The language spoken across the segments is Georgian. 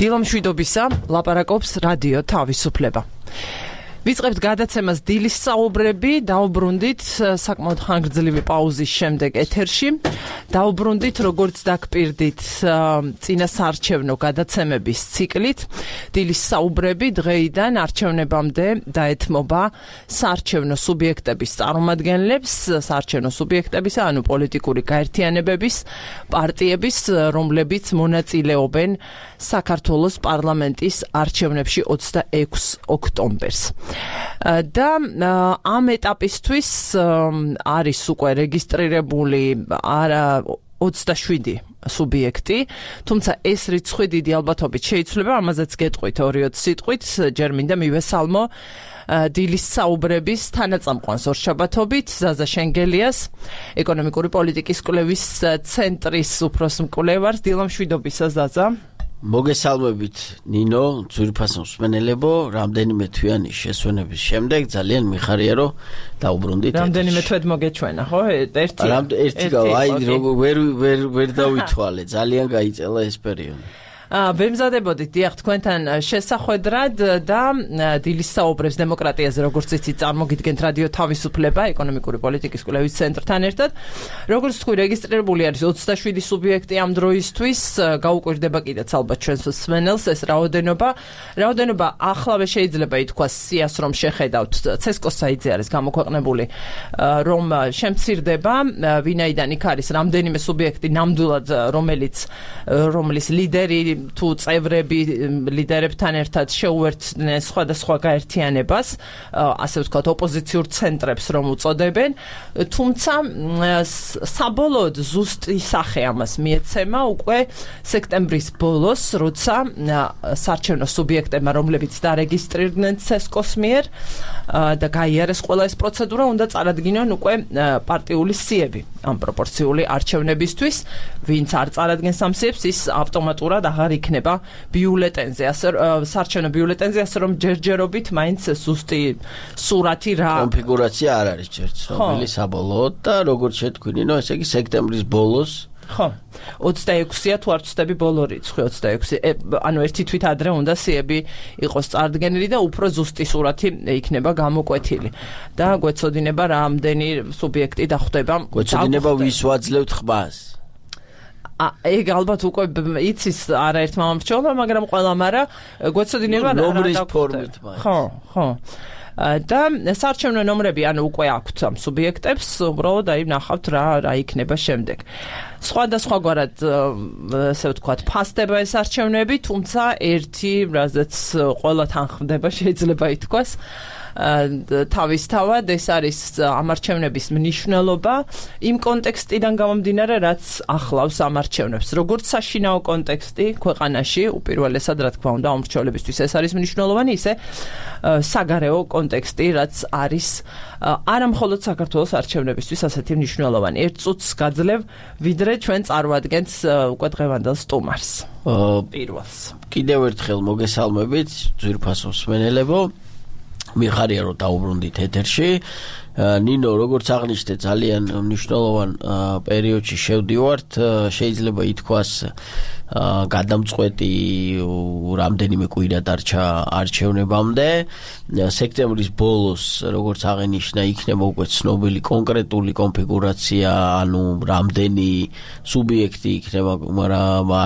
დილამშვიდობისა, ლაპარაკობს რადიო თავისუფლება. ვიწყებთ გადაცემას დილის საუბრები, დაუბრუნდით საკმაოდ ხანგრძლივი პაუზის შემდეგ ეთერში. დაუბრუნდით როგორც დაგპირდით წინასაარჩევნო გადაცემების ციკლით. დილის საუბრები დღეიდან არჩევნებამდე დაეთმობა საარჩევნო სუბიექტების წარმომადგენლებს, საარჩევნო სუბიექტებისა, ანუ პოლიტიკური გაერთიანებების, პარტიების, რომლებიც მონაწილეობენ საქართველოს პარლამენტის არჩევნებში 26 ოქტომბერს. და ამ ეტაპისთვის არის უკვე რეგისტრირებული 27 სუბიექტი, თუმცა ეს რიცხვი დიდი ალბათობით შეიცვლება, ამაზეც გეტყვით 2-20 სიტყვით, ჯერ მინდა მივესალმო დილის საუბრების თანაწამყვანს ორშაბათობით ზაზა შენგელიას, ეკონომიკური პოლიტიკის კვლევის ცენტრის უფროს მკვლევარს. დილამშვიდობისა ზაზა. მოგესალმებით ნინო, ძვირფასო მსმენელებო, რამდენიმე თვიანი შესვენების შემდეგ ძალიან მიხარია რომ დაუბრუნდით. რამდენიმე თვედ მოგეჩვენა, ხო? ერთი გავა, აი ვერ დავითვალე, ძალიან გაიწელა ეს პერიოდი. ვემზადებოდით დიახ თქვენთან შესახვედრად და დილის საუბრებს დემოკრატიაზე როგორც იცით წარმოგიდგენთ რადიო თავისუფლება ეკონომიკური პოლიტიკის კვლევის ცენტრთან ერთად. როგორც თქვი რეგისტრირებული არის 27 სუბიექტი ამ დროისთვის, გაუკვირდება კიდეც ალბათ ჩვენს მსმენელს ეს რაოდენობა ახლავე შეიძლება ითქვას სიას რომ შეხედავთ ცესკოს საიტზე არის გამოქვეყნებული რომ შემცირდება ვინაიდან იქ არის რამდენიმე სუბიექტი ნამდვილად რომლის ლიდერი თუ წევრები ლიდერებთან ერთად შეუერთდნენ სხვადასხვა გაერთიანებას, ასე ვთქვათ, ოპოზიციურ ცენტრებს რომ უწოდებენ, თუმცა საბოლოოდ ზუსტი სახე ამას მიეცემა უკვე სექტემბრის ბოლოს, როცა საარჩევნო სუბიექტებმა, რომლებიც დარეგისტრირდნენ ცესკოს მიერ და გაიარეს ყველა ეს პროცედურა, უნდა წარადგინონ უკვე პარტიული სიები ამ პროპორციული არჩევნებისთვის, ვინც არ წარადგენს ამ სიებს, ის ავტომატურად აღარ იქნება ბიულეტენზე, საარჩევნო ბიულეტენზე, ასე რომ ჯერჯერობით მაინც ზუსტი სურათი რა კონფიგურაცია არ არის ჯერ ცნობილი საბოლოოდ და როგორც შეთქვინინო, ესე იგი სექტემბრის ბოლოს ხო 26-ია თუ არ ვცდები ბოლო რიცხვი 26, ანუ ერთი თვით ადრე უნდა სიები იყოს წარდგენილი და უფრო ზუსტი სურათი იქნება გამოკვეთილი და გვეცოდინება რამდენი სუბიექტი დახვდება. გვეცოდინება ვის ვაძლევთ ხმას. ეგ ალბათ უკვე იცის არაერთმა მომრჩევლმა, მაგრამ ყველამ არა გვეცოდინება ნომრის ფორმით. ხო. და საარჩევნო ნომრები ანუ უკვე აქვთ ამ სუბიექტებს, უბრალოდ აი ნახავთ რა იქნება შემდეგ. სხვადასხვაგვარად ასე ვთქვათ, ფასდება ეს არჩევნები, თუმცა ერთი, რაზეც ყველა თანხმდება, შეიძლება ითქვას, თავისთავად ეს არის ამ არჩევნების მნიშვნელობა იმ კონტექსტიდან გამომდინარე, რაც ახლავს ამ არჩევნებს. როგორც საშინაო კონტექსტი ქვეყანაში, უპირველესად რა თქმა უნდა, ამრჩევლებისთვის ეს არის მნიშვნელოვანი, ისე საგარეო კონტექსტი, რაც არის არა მხოლოდ საქართველოს არჩევნებისთვის ასეთი მნიშვნელოვანი. ერთ წუთს გაძლევ, ვიდრე ჩვენ წარვადგენთ უკვე დღევანდელ სტუმარს. პირველს. კიდევ ერთხელ მოგესალმებით, ძვირფასო მსმენელებო. მიხარია რომ დაუბრუნდით ეთერში. ნინო, როგორც აღნიშნე, ძალიან მნიშვნელოვან პერიოდში შევდივართ, შეიძლება ითქვას გადამწყვეტი რამდენიმე კვირა დარჩა არჩევნებამდე. სექტემბრის ბოლოს, როგორც აღინიშნა, იქნება უკვე ცნობილი კონკრეტული კონფიგურაცია, ანუ რამდენი სუბიექტი იქნება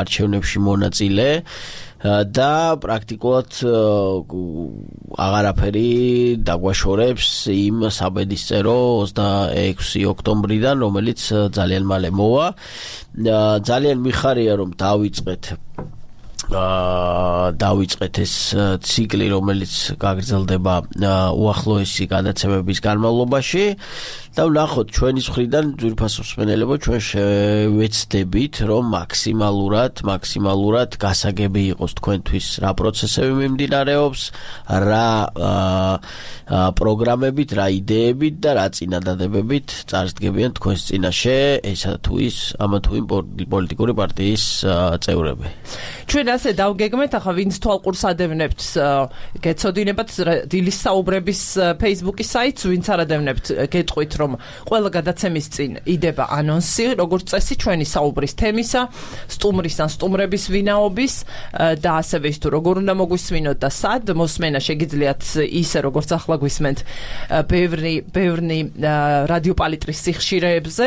არჩევნებში მონაწილე. და პრაქტიკულად აღარაფერი დაგვაშორებს იმ საბედისწერო 26 ოქტომბრიდან, რომელიც ძალიან მალე მოვა. ძალიან მიხარია რომ დავიწყეთ ეს ციკლი, რომელიც გაგრძელდება უახლოესი გადაცემების განმავლობაში და ვნახოთ ჩვენის მხრიდან ძვირფასო მსმენელებო, ჩვენ შევეცდებით რომ მაქსიმალურად გასაგები იყოს თქვენთვის რა პროცესები მიმდინარეობს, რა პროგრამებით, რა იდეებით და რა წინადადებებით წარსდგებიან თქვენს წინაშე ესა თუ ის ამა თუ იმ პოლიტიკური პარტიის წევრები. ჩვენ ასე დავგეგმეთ, ახლა ვინც თვალყურს ადევნებთ, გეცოდინებათ დილის საუბრების Facebook-ის საიტს, ვინც არ ადევნებთ, გეტყვით რომ ყველა გადაცემის წინ იდება ანონსი, როგორც წესი ჩვენი საუბრის თემისა, სტუმრის ან სტუმრების ვინაობის და ასევე ის თუ როგორ უნდა მოგვისმინოთ და სად მოსმენა შეგიძლიათ ისე როგორც ახლა გვისმენთ ბევრი რადიო პალიტრის სიხშირეებზე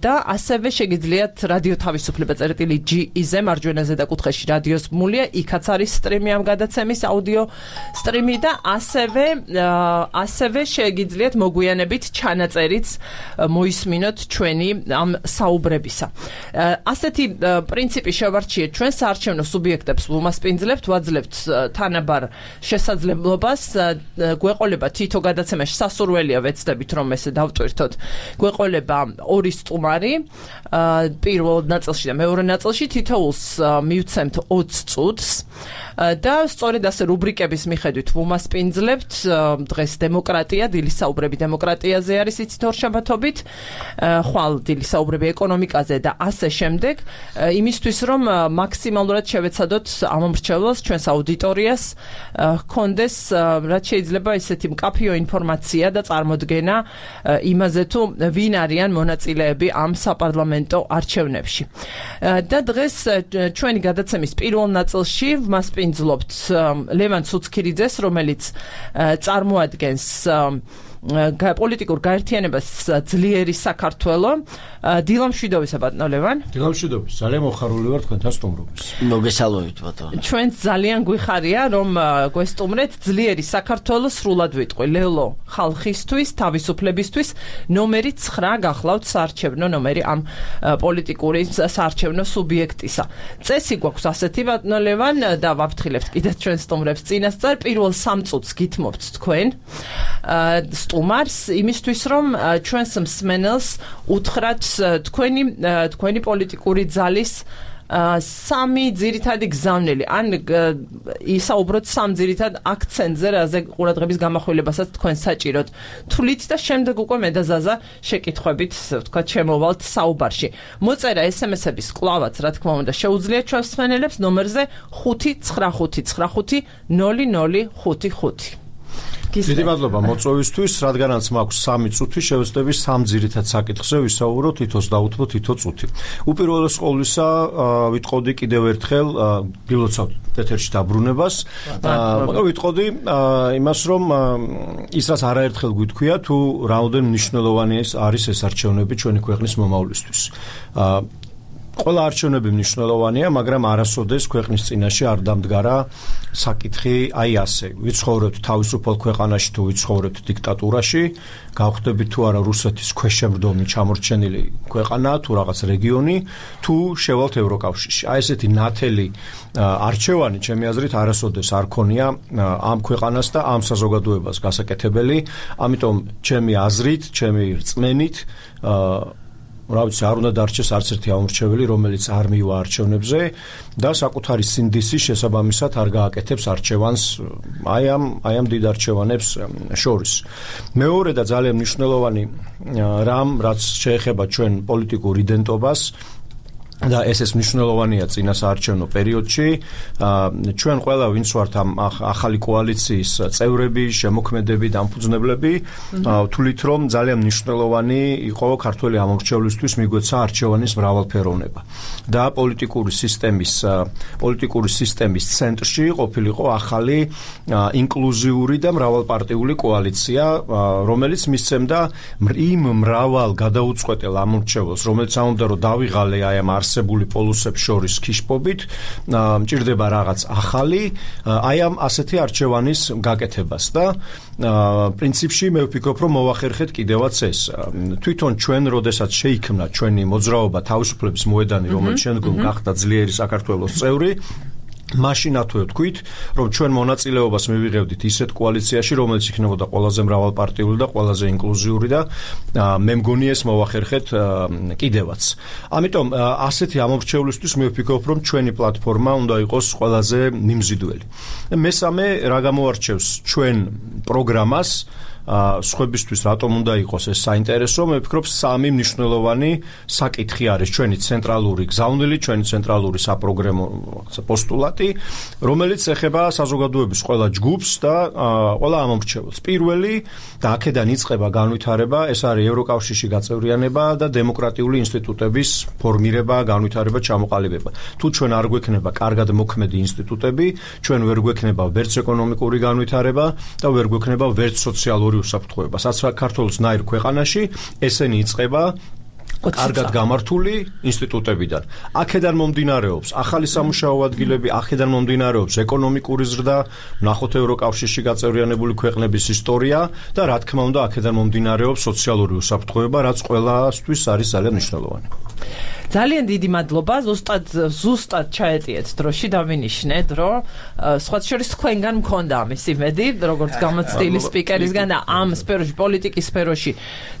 და ასევე შეგიძლიათ რადიო თავისუფლება წერტილი.ge-ზე მარჯვენა ზედაკუთხეში რადიოს ბმულია, იქაც არის სტრიმი ამ გადაცემის აუდიო სტრიმი და ასევე შეგიძლიათ მოგვიანებით ჩანაწერიც მოისმინოთ ჩვენი ამ საუბრებისა. ასეთი პრინციპი შევარჩიეთ ჩვენ საარჩევნო სუბიექტებს ვუმასპინძლებთ, ვაძლევთ თანაბარ შესაძლებლობას, გვეყოლება თითო გადაცემაში სასურველია ვეცდებით რომ ესე დავტვირთოთ. გვეყოლება 2 სტუმარი პირველ ნაწილში და მეორე ნაწილში თითოეულს მივცემთ 20 წუთს და სწორედ ასე რუბრიკების მიხედვით ვუმასპინძლებთ დღეს დემოკრატია, დილის საუბრები დემოკრატიაზე არის იცით ორშაბათობით, ხვალ დილის საუბრები ეკონომიკაზე და ასე შემდეგ, იმისთვის რომ მაქსიმალურად შევეცადოთ ამომრჩევლს ჩვენს აუდიტორიას ჰქონდეს რაც შეიძლება ისეთი მკაფიო ინფორმაცია და წარმოდგენა იმაზე თუ ვინ არიან მონაწილეები ამ საპარლამენტო არჩევნებში. და დღეს ჩვენი გადაცემის პირველ ნაწილში ვმასპინძლობთ ლევან ცუცქირიძეს, რომელიც წარმოადგენს პოლიტიკურ გაერთიანებას ძლიერი საქართველო. დილამშვიდობისა ბატონო ლევან. დილამშვიდობის. ძალიან მოხარული ვარ თქვენთან სტუმრობის. მოგესალმებით ბატონო. ჩვენც ძალიან გვიხარია რომ გვესტუმრეთ ძლიერი საქართველო სრულად ვიტყვი. ლელო ხალხისთვის, თავისუფლებისთვის ნომერი 9 გახლავთ საარჩევნო ნომერი ამ პოლიტიკური საარჩევნო სუბიექტისა. წესი გვაქვს ასეთი ბატონო ლევან და ვაფრთხილებთ კიდევ ჩვენ სტუმრებს წინასწარ პირველ 3 წუთს გითმობთ თქვენ სტუმარს იმისთვის რომ ჩვენს მსმენელს უთხრათ თქვენი პოლიტიკური ძალის 3 ძირითადი გზავნილი ან ისაუბროთ 3 ძირითად აქცენტზე, რაზე ყურადღების გამახვილებასაც თქვენ საჭიროთ. თვლით და შემდეგ უკვე მე და ზაზა შეკითხვებით, ვთქვათ, შემოვალთ საუბარში. მოწერა SMS-ების კლავაც, რა თქმა უნდა, შეუძლიათ ჩვენს მსმენელებს ნომერზე 595500555. დიდი მადლობა მოწვევისთვის, რადგანაც მაქვს 3 წუთი, შევეცდები 3 ძირითად საკითხზე ვისაუბროთ, თითოს დაუთმო თითო წუთი. უპირველეს ყოვლისა ვიტყოდი კიდევ ერთხელ გილოცავთ ეთერში დაბრუნებას. ვიტყოდი იმას, რომ ის რაც არაერთხელ გვითქვია, თუ რაოდენ მნიშვნელოვანი არის ეს არჩევნები ჩვენი ქვეყნის მომავლისთვის. ყველა არჩევნები მნიშვნელოვანია, მაგრამ არასოდეს ქვეყნის წინაშე არ დამდგარა საკითხი აი ასე. ვიცხოვრებთ თავისუფალ ქვეყანაში თუ ვიცხოვრებთ დიქტატურაში, გავხდებით თუ არა რუსეთის ქვეშევრდომი ჩამორჩენილი ქვეყანა თუ რაღაც რეგიონი, თუ შევალთ ევროკავშირში. აი ესეთი ნათელი არჩევანი, ჩემი აზრით, არასოდეს არ ქონია ამ ქვეყანას და ამ საზოგადოებას გასაკეთებელი. ამიტომ ჩემი აზრით, ჩემი რწმენით რა ვიცი, არ უნდა დარჩეს არც ერთი ამორჩეველი, რომელიც არ მივა არჩევნებზე და საკუთარი სინდისის შესაბამისად არ გააკეთებს არჩევანს აი ამ დიდ არჩევანებს შორის. მეორე და ძალიან მნიშვნელოვანი რამ, რაც შეეხება ჩვენ პოლიტიკურ იდენტობას და ეს მნიშვნელოვანია წინა საარჩევნო პერიოდში. ჩვენ ყველა ვინც ვართ ამ ახალი კოალიციის წევრები, შემოქმედები, დამფუძნებლები, თვლით რომ ძალიან მნიშვნელოვანი იყო ქართველი ამორჩევლისთვის მიგვეცა არჩევანის მრავალფეროვნება და პოლიტიკური სისტემის ცენტრში ყოფილიყო ახალი ინკლუზიური და მრავალპარტიული კოალიცია, რომელიც მისცემდა იმ მრავალ გადაუწყვეტელ ამორჩევლს, რომელიც ამბობდა რომ დავიღალე აი ამ არსებული პოლუსებს შორის ქიშპობით, მჭირდება რაღაც ახალი, აი ამ ასეთი არჩევანის გაკეთებას და პრინციპში მე ვფიქრობ, რომ მოვახერხეთ კიდევაც ეს. თვითონ ჩვენ, როდესაც შეიქმნა ჩვენი მოძრაობა თავისუფლების მოედანი, რომელიც შემდგომ გახდა ძლიერი საქართველოს წევრი, მაშინათვე ვთქვით, რომ ჩვენ მონაწილეობას მივიღებდით ისეთ კოალიციაში, რომელიც იქნებოდა ყველაზე მრავალპარტიული და ყველაზე ინკლუზიური და მე მგონი ეს მოვახერხეთ კიდევაც. ამიტომ ასეთი ამორჩევლისთვის მე ვფიქრობ, რომ ჩვენი პლატფორმა უნდა იყოს ყველაზე მიმზიდველი. მესამე, რა გამოარჩევს ჩვენ პროგრამას, სხვებისთვის რატომ უნდა იყოს ეს საინტერესო, მე ვფიქრობ სამი მნიშვნელოვანი საკითხი არის ჩვენი ცენტრალური გზავნილი, ჩვენი ცენტრალური საპროგრამო პოსტულატი, რომელიც ეხება საზოგადოების ყველა ჯგუფს და ყველა ამომრჩეველს. პირველი და აქედან იწყება განვითარება, ეს არის ევროკავშირში გაწევრიანება და დემოკრატიული ინსტიტუტების ფორმირება, განვითარება, ჩამოყალიბება. თუ ჩვენ არ გვექნება კარგად მოქმედი ინსტიტუტები, ჩვენ ვერ გვექნება ვერც ეკონომიკური განვითარება და ვერ გვექნება ვერც სოციალური უსაფრთხოება. საქართველოსნაირ ქვეყანაში ესენი იწყება კარგად გამართული ინსტიტუტებიდან. აქედან მომდინარეობს ახალი სამუშაო ადგილები, აქედან მომდინარეობს ეკონომიკური ზრდა, ნახოთ ევროკავშირში გაწევრიანებული ქვეყნების ისტორია და რა თქმა უნდა აქედან მომდინარეობს სოციალური უსაფრთხოება, რაც ყველასთვის არის ძალიან მნიშვნელოვანი. ძალიან დიდი მადლობა, ზუსტად ჩაეტიეთ დროში დავინიშნეთ, რომ სხვა შორის თქვენგან მქონდა ამის იმედი, როგორც გამოცდილი სპიკერისგან და ამ სფეროში, პოლიტიკის სფეროში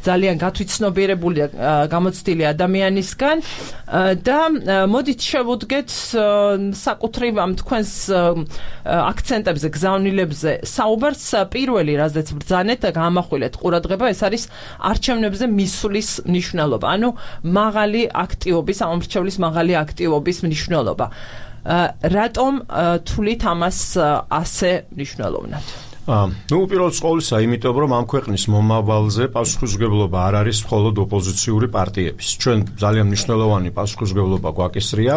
ძალიან გათვითცნობიერებული გამოცდილი ადამიანისგან და მოდით შევუდგეთ საკუთრივ ამ თქვენს აქცენტებზე, გზავნილებზე საუბარს. პირველი, რაზეც ბრძანეთ და გაამახვილეთ ყურადღება, ეს არის არჩევნებზე მისვლის მნიშვნელობა, ანუ მაღალი აქტივობის, ამომრჩევლის მაღალი აქტივობის მნიშვნელობა. რატომ თვლით ამას ასე მნიშვნელოვნად? უპირველეს ყოვლისა, იმიტომ რომ ამ ქვეყნის მომავალზე პასუხისმგებლობა არ არის მხოლოდ ოპოზიციური პარტიების. ჩვენ ძალიან მნიშვნელოვანი პასუხისმგებლობა გვაკისრია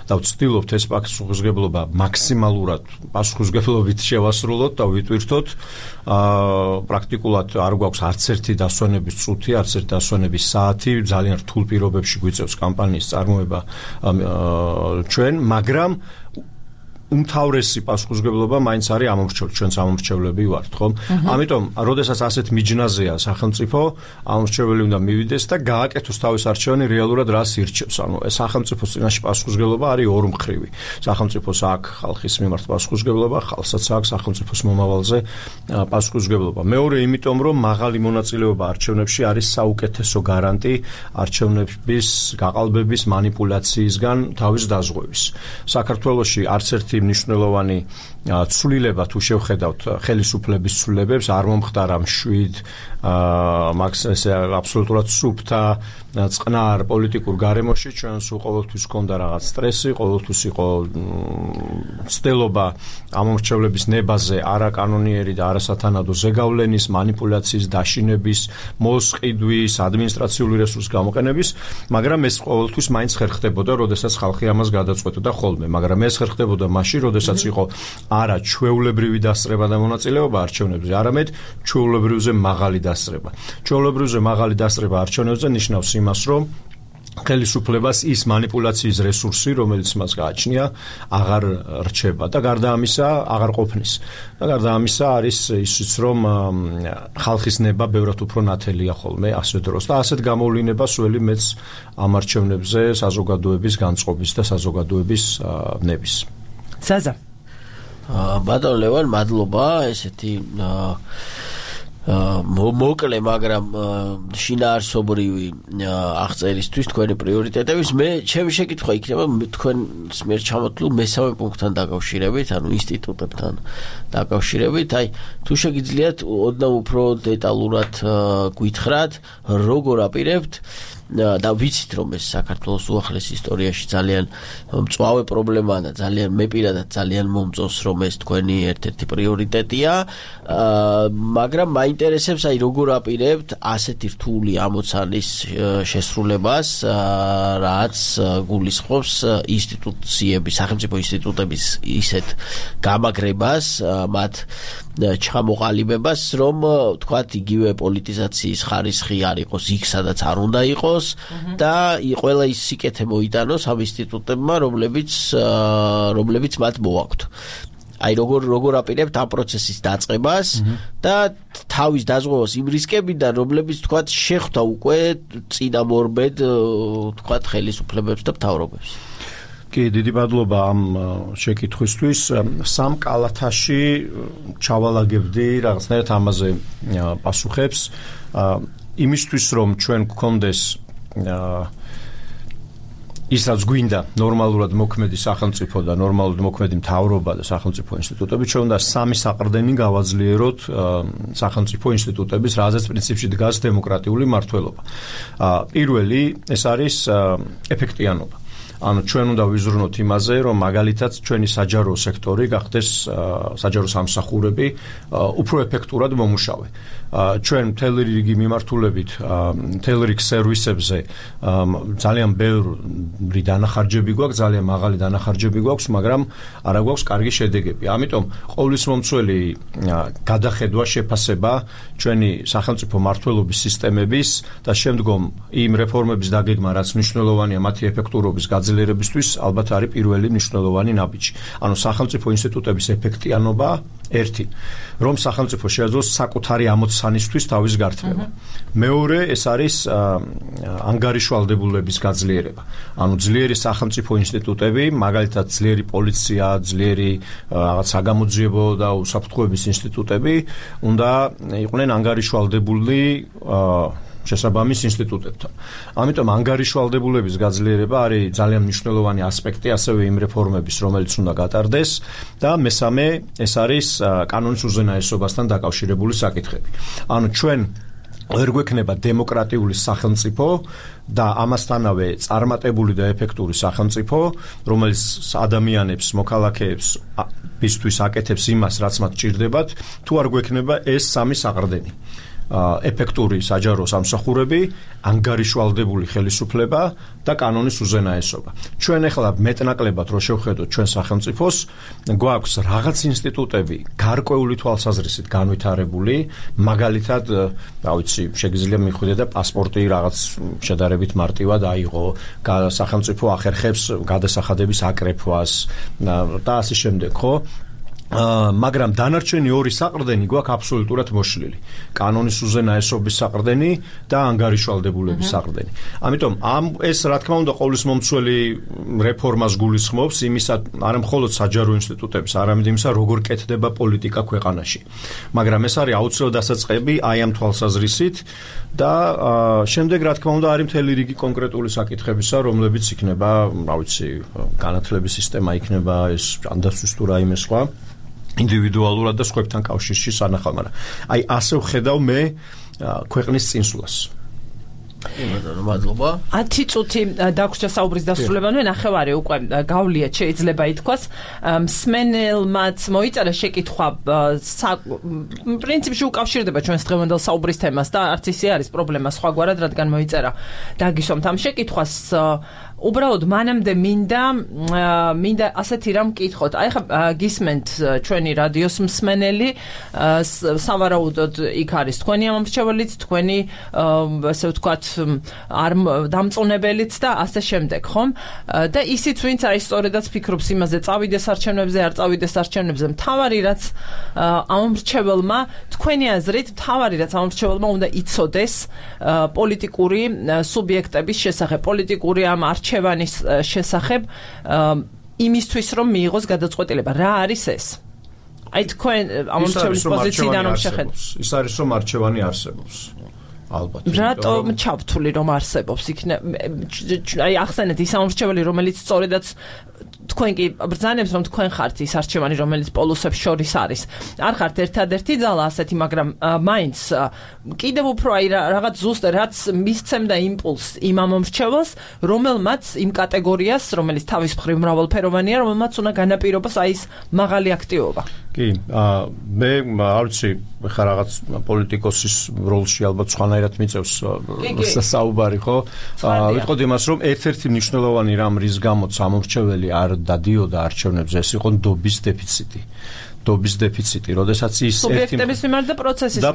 და ვცდილობთ ეს პასუხისმგებლობა მაქსიმალურად პასუხისმგებლობით შევასრულოთ და ვიტვირთოთ. პრაქტიკულად არ გვაქვს არც ერთი დასვენების წუთი, არც ერთი დასვენების საათი, ძალიან რთულ პირობებში გვიწევს კამპანიის წარმოება ჩვენ, მაგრამ უმთავრესი პასუხისმგებლობა მაინც არის ამომრჩევლები, ჩვენც ამომრჩევლები ვართ, ხო? ამიტომ, როდესაც ასეთ მიჯნაზეა სახელმწიფო, ამომრჩეველი უნდა მივიდეს და გააკეთოს თავის არჩევანი რეალურად რას ირჩევს. ანუ სახელმწიფოს წინაშე პასუხისმგებლობა არის ორმხრივი. სახელმწიფოს აქვს ხალხის მიმართ პასუხისმგებლობა, ხალხსაც აქვს სახელმწიფოს მომავალზე პასუხისმგებლობა. მეორე, იმიტომ რომ მაღალი მონაწილეობა არჩევნებში არის საუკეთესო გარანტი არჩევნების გაყალბების მანიპულაციისგან თავის დაზღვევის. საქართველოში არც ერთი მნიშვნელოვანი ცვლილება თუ შევხედავთ ხელისუფლების ცვლილებებს არ მომხდარა მშვიდ აბსოლუტურად სუფთა წყნარ პოლიტიკურ გარემოში. ჩვენს ყოველთვის ჰქონდა რაღაც სტრესი, ყოველთვის იყო ცდელობა ამომრჩევლების ნებაზე არაკანონიერი და არასათანადო ზეგავლენის, მანიპულაციის, დაშინების, მოსყიდვის, ადმინისტრაციული რესურსის გამოყენების, მაგრამ ეს ყოველთვის მაინც ხერხდებოდა, როდესაც ხალხი ამას გადაწყვეტოდა ხოლმე, მაგრამ ეს ხერხდებოდა მაშინ, როდესაც იყო არა ჩვეულებრივი დასწრება და მონაწილეობა არჩევნებზე, არამედ ჩვეულებრივზე მაღალი დასწრება. ჩვეულებრივზე მაღალი დასწრება არჩევნებზე ნიშნავს იმას, რომ ხელისუფლებას ის მანიპულაციის რესურსი, რომელიც მას გააჩნია, აღარ რჩება და გარდა ამისა აღარ ყოფნის. და გარდა ამისა არის ისიც, რომ ხალხის ნება ბევრად უფრო ნათელია ხოლმე ასე დროს და ასეთ გამოვლინებას ველი მეც ამ არჩევნებზე საზოგადოების განწყობის და საზოგადოების ნების. ზაზა ბატონ ლევან, მადლობა ესეთი მოკლე, მაგრამ შინაარსობრივი აღწერისთვის თქვენი პრიორიტეტების. მე ჩემი შეკითხვა იქნება თქვენს მიერ ჩამოთვლილ მესამე პუნქტთან დაკავშირებით, ანუ ინსტიტუტებთან დაკავშირებით. აი, თუ შეგიძლიათ ოდნავ უფრო დეტალურად გითხრათ, როგორ აპირებთ და ვიცით, რომ ეს საქართველოს უახლეს ისტორიაში ძალიან მწვავე პრობლემაა და ძალიან მე პირადად ძალიან მომწონს, რომ ეს თქვენი ერთ-ერთი პრიორიტეტია, მაგრამ მაინტერესებს, აი, როგორ აპირებთ ასეთი რთული ამოცანის შესრულებას, რაც გულისხმობს ინსტიტუციების, სახელმწიფო ინსტიტუტების ისეთ გამაგრებას, მათ ჩამოყალიბებას, რომ თქვათ იგივე პოლიტიზაციის ხარისხი არ იყოს იქ, სადაც არ უნდა იყოს და ყველა ის სიკეთე მოიტანოს ამ ინსტიტუტებმა, რომლებიც მათ მოაქვთ. აი, როგორ აპირებთ ამ პროცესის დაწყებას და თავის დაზღვევას იმ რისკებიდან, რომლებიც თქვათ შეხვდა უკვე წინამორბედ თქვათ ხელისუფლებებს და მთავრობებს. კი, დიდი მადლობა ამ შეკითხვისთვის. სამ კალათაში ჩავალაგებდი რაღაცნაირად ამაზე პასუხებს. იმისთვის, რომ ჩვენ გვქონდეს ისაც გვინდა ნორმალურად მოქმედი სახელმწიფო და ნორმალურად მოქმედი მთავრობა და სახელმწიფო ინსტიტუტები, ჩვენ უნდა სამი საყრდენი გავაძლიეროთ სახელმწიფო ინსტიტუტების, რაზეც პრინციპში დგას დემოკრატიული მმართველობა. პირველი ეს არის ეფექტიანობა. ანუ ჩვენ უნდა ვიზრუნოთ იმაზე, რომ მაგალითად ჩვენი საჯარო სექტორი გახდეს საჯარო სამსახურები უფრო ეფექტურად მომუშავე. ჩვენ მთელი რიგი მიმართულებით, მთელი რიგი სერვისებზე ძალიან ბევრი დანახარჯები გვაქვს, ძალიან მაღალი დანახარჯები გვაქვს, მაგრამ არა გვაქვს კარგი შედეგები. ამიტომ ყოვლისმომცველი გადახედვა, შეფასება ჩვენი სახელმწიფო მმართველობის სისტემების და შემდგომ იმ რეფორმების დაგეგმა, რაც მნიშვნელოვანია მათი ეფექტურობის გაძლიერებისთვის, ალბათ არის პირველი მნიშვნელოვანი ნაბიჯი. ანუ სახელმწიფო ინსტიტუტების ეფექტიანობა ერთი, რომ სახელმწიფო შეაძლოს საკუთარი ამოცანისთვის თავის გართმევა. მეორე, ეს არის ანგარიშვალდებულების გაძლიერება. ანუ ძლიერი სახელმწიფო ინსტიტუტები, მაგალითად ძლიერი პოლიცია, ძლიერი რაღაც საგამოძიებო და უსაფრთხოების ინსტიტუტები უნდა იყვნენ ანგარიშვალდებული შესაბამის ინსტიტუტებთან. ამიტომ ანგარიშვალდებულების გაძლიერება არის ძალიან მნიშვნელოვანი ასპექტი ასევე იმ რეფორმების, რომელიც უნდა გატარდეს და მესამე ეს არის კანონის უზენაესობასთან დაკავშირებული საკითხები. ანუ ჩვენ ვერ გვექნება დემოკრატიული სახელმწიფო და ამასთანავე წარმატებული და ეფექტური სახელმწიფო, რომელიც ადამიანებს, მოქალაქეებს ბისთვის აკეთებს იმას, რაც მათ ჭირდებათ, თუ არ გვექნება ეს სამი საყრდენი. ეფექტური საჯარო სამსახურები, ანგარიშვალდებული ხელისუფლება და კანონის უზენაესობა. ჩვენ ახლა მეტნაკლებად რო შევხედოთ ჩვენ სახელმწიფოს, გვაქვს რაღაც ინსტიტუტები გარკვეული თვალსაზრისით განვითარებული, მაგალითად, რა ვიცი, შეგიძლია მიხვიდე და პასპორტი რაღაც შედარებით მარტივად აიღო, სახელმწიფო ახერხებს გადასახადების აკრეფვას და ასე შემდეგ, ხო? მაგრამ დანარჩენი ორი საყრდენი გვაქვს აბსოლუტურად მოშლილი. კანონის უზენაესობის საყრდენი და ანგარიშვალდებულების საყრდენი. ამიტომ ეს რა თქმა უნდა ყოვლისმომცველი რეფორმას გულისხმობს იმისა, არა მხოლოდ საჯარო ინსტიტუტების, არამედ იმისა, როგორ კეთდება პოლიტიკა ქვეყანაში. მაგრამ ეს არის აუცილებლად დასაწყები აი ამ თვალსაზრისით და შემდეგ რა თქმა უნდა არის მთელი რიგი კონკრეტული საკითხებისა, რომლებიც იქნება, რა ვიცი, განათლების სისტემა იქნება, ეს ანდასთვის თუ რაიმე სხვა. ინდივიდუალურად და სხვებთან კავშირში სანახავ, მაგრამ აი ასე ვხედავ მე ქვეყნის წინსვლას. მადლობა. 10 წუთი დაგვრჩა საუბრის დასრულებამდე, ნახევარი უკვე გავლიათ, შეიძლება ითქვას. მსმენელმაც მოიწერა შეკითხვა, პრინციპში უკავშირდება ჩვენს დღევანდელ საუბრის თემას და არც ისე არის პრობლემა სხვაგვარად, რადგან მოიწერა დაგისვამთ ამ შეკითხვას. უბრალოდ მანამდე მინდა ასეთი რამ მკითხოთ. აი ხა გისმენთ ჩვენი რადიოს მსმენელი, სავარაუდოდ იქ არის თქვენი ამომრჩეველიც, თქვენი ასე ვთქვათ არ დამწონებელიც და ასე შემდეგ, ხომ? და ისიც ვინც აი სწორედაც ფიქრობს იმაზე, წავიდეს არჩევნებზე, არ წავიდეს არჩევნებზე, მთავარი რაც ამომრჩეველმა, თქვენი აზრით, მთავარი რაც ამომრჩეველმა უნდა იცოდეს პოლიტიკური სუბიექტების შესახებ, პოლიტიკური ამ არჩევანის შესახებ, იმისთვის რომ მიიღოს გადაწყვეტილება. რა არის ეს? აი თქვენ ამომრჩევლის პოზიციიდან რომ შეხედოთ. ის არის რომ არჩევანი არსებობს. ალბათ. რატომ ჩავთვლი რომ არსებობს? აი ახსენეთ ის ამომრჩეველი, რომელიც სწორედაც თქვენ კი ბრძანებს რომ თქვენ ხართ ის არჩევანი, რომელიც პოლუსებს შორის არის. არ ხართ ერთადერთი ძალა ასეთი, მაგრამ მაინც კიდევ უფრო აი რაღაც ზუსტად რაც მისცემდა იმპულსს იმ ამომრჩეველს, რომელმაც იმ კატეგორიას, რომელიც თავის მხრივ მრავალფეროვანია, რომელმაც უნდა განაპირობოს აი ეს მაღალი აქტივობა. კი, მე არ ვიცი, ხა რაღაც პოლიტიკოსის როლში ალბათ სხვანაირად მიწევს საუბარი, ხო? ვიტყოდ იმას, რომ ერთ-ერთი მნიშვნელოვანი რამ რის გამოც ამომრჩეველი არ დადიოდა არჩევნებზე, ეს იყო ნდობის დეფიციტი. დობის დეფიციტი, როდესაც ის სუბიექტების მიმართ და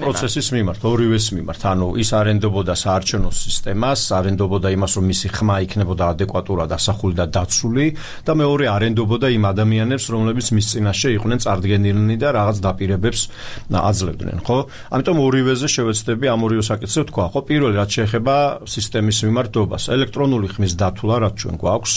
პროცესის მიმართ, ორივეს მიმართ. ანუ ის არენდობოდა საარჩევნო სისტემას, არენდობოდა იმას, რომ მისი ხმა იქნებოდა ადეკვატურად ასახული და დაცული და მეორე არენდობოდა იმ ადამიანებს, რომლებიც მის წინაშე იყვნენ წარდგენილნი და რაღაც დაპირებებს აძლევდნენ, ხო? ამიტომ ორივეზე შევეცდები ამ ორივე საკითხზე ვთქვა, ხო? პირველი რაც შეეხება სისტემის მიმართ დობას, ელექტრონული ხმის დათვლა, რაც ჩვენ გვაქვს,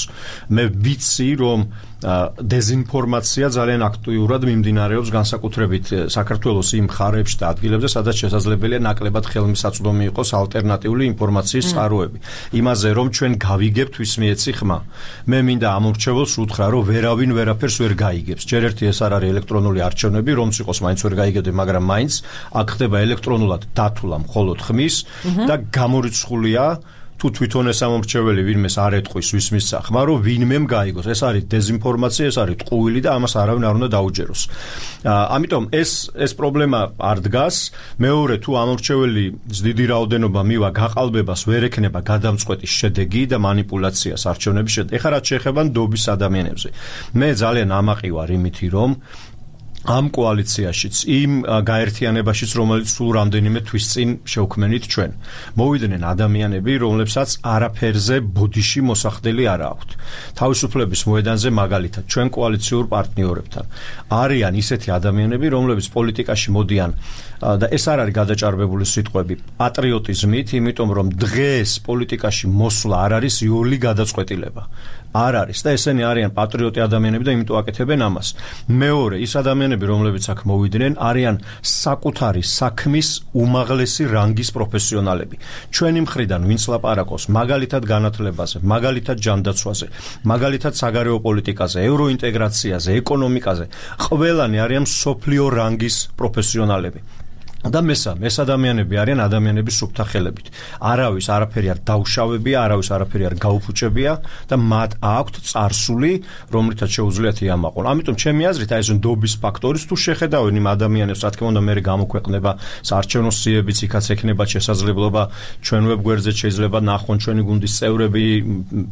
მე ვიცი, რომ დეზინფორმაცია ძალიან აქტიურად მიმდინარეობს განსაკუთრებით საქართველოს იმ მხარეებში და ადგილებზე, სადაც შესაძლებელია ნაკლებად ხელმისაწვდომი იყოს ალტერნატიული ინფორმაციის წყაროები. იმაზე რომ ჩვენ გავიგებთ ვის მიეცი ხმა. მე მინდა ამორჩეველს უთხრა, რომ ვერავინ ვერაფერს ვერ გაიგებს. ჯერ ერთი ეს არ არის ელექტრონული არჩევნები, რომც იყოს მაინც ვერ გაიგებდი, მაგრამ მაინც აქ ხდება ელექტრონულად დათვლა მხოლოდ ხმის და გამორიცხულია თუ თვითონ ეს ამორჩეველი ვინმეს არ ეტყვის ვის მისცა ხმა, რომ ვინმემ გაიგოს. ეს არის დეზინფორმაცია, ეს არის ტყუილი და ამას არავინ არ უნდა დაუჯეროს. ამიტომ ეს პრობლემა არ დგას. მეორე, თუ ამორჩეველის დიდი რაოდენობა მივა გაყალბებას, ვერ ექნება გადამწყვეტი შედეგი და манипуляციას არჩევნების შედეგი. ეხლა რაც შეეხება ნდობის ადამიანებზე. მე ძალიან ამაყი ვარ იმითი, რომ ამ კოალიციაშიც, იმ გაერთიანებაშიც, რომელიც სულ რამდენიმე თვის წინ შევქმნით ჩვენ, მოვიდნენ ადამიანები, რომლებსაც არაფერზე ბოდიში მოსახდელი არ აქვთ. თავისუფლების მოედანზე მაგალითად, ჩვენ კოალიციურ პარტნიორებთან არიან ისეთი ადამიანები, რომლებიც პოლიტიკაში მოდიან და ეს არ არის გადაჭარბებული სიტყვები, პატრიოტიზმით, იმიტომ რომ დღეს პოლიტიკაში მოსვლა არ არის იოლი გადაწყვეტილება. არ არის და ესენი არიან პატრიოტი ადამიანები და იმიტომ აკეთებენ ამას. მეორე, ის ადამიანები, რომლებიც აქ მოვიდნენ, არიან საკუთარი საქმის უმაღლესი რანგის პროფესიონალები. ჩვენი მხრიდან ვინც ლაპარაკობს მაგალითად განათლებაზე, მაგალითად ჯანდაცვაზე, მაგალითად საგარეო პოლიტიკაზე, ევროინტეგრაციაზე, ეკონომიკაზე, ყველანი არიან მსოფლიო რანგის პროფესიონალები. და მესამე, ეს ადამიანები არიან ადამიანების სუფთა ხელებით. არავის არაფერი არ დაუშავებია, არავის არაფერი არ გაუფუჭებია და მათ აქვთ წარსული, რომლითაც შეუძლიათ იამაყონ. ამიტომ ჩემი აზრით, აი ეს ნდობის ფაქტორიც თუ შეხედავენ იმ ადამიანებს, რა თქმა უნდა, მე გამოქვეყნება საარჩევნო სიებიც, იქაც ექნება შესაძლებლობა ჩვენ ვებგვერდზე შეიძლება ნახონ ჩვენი გუნდის წევრები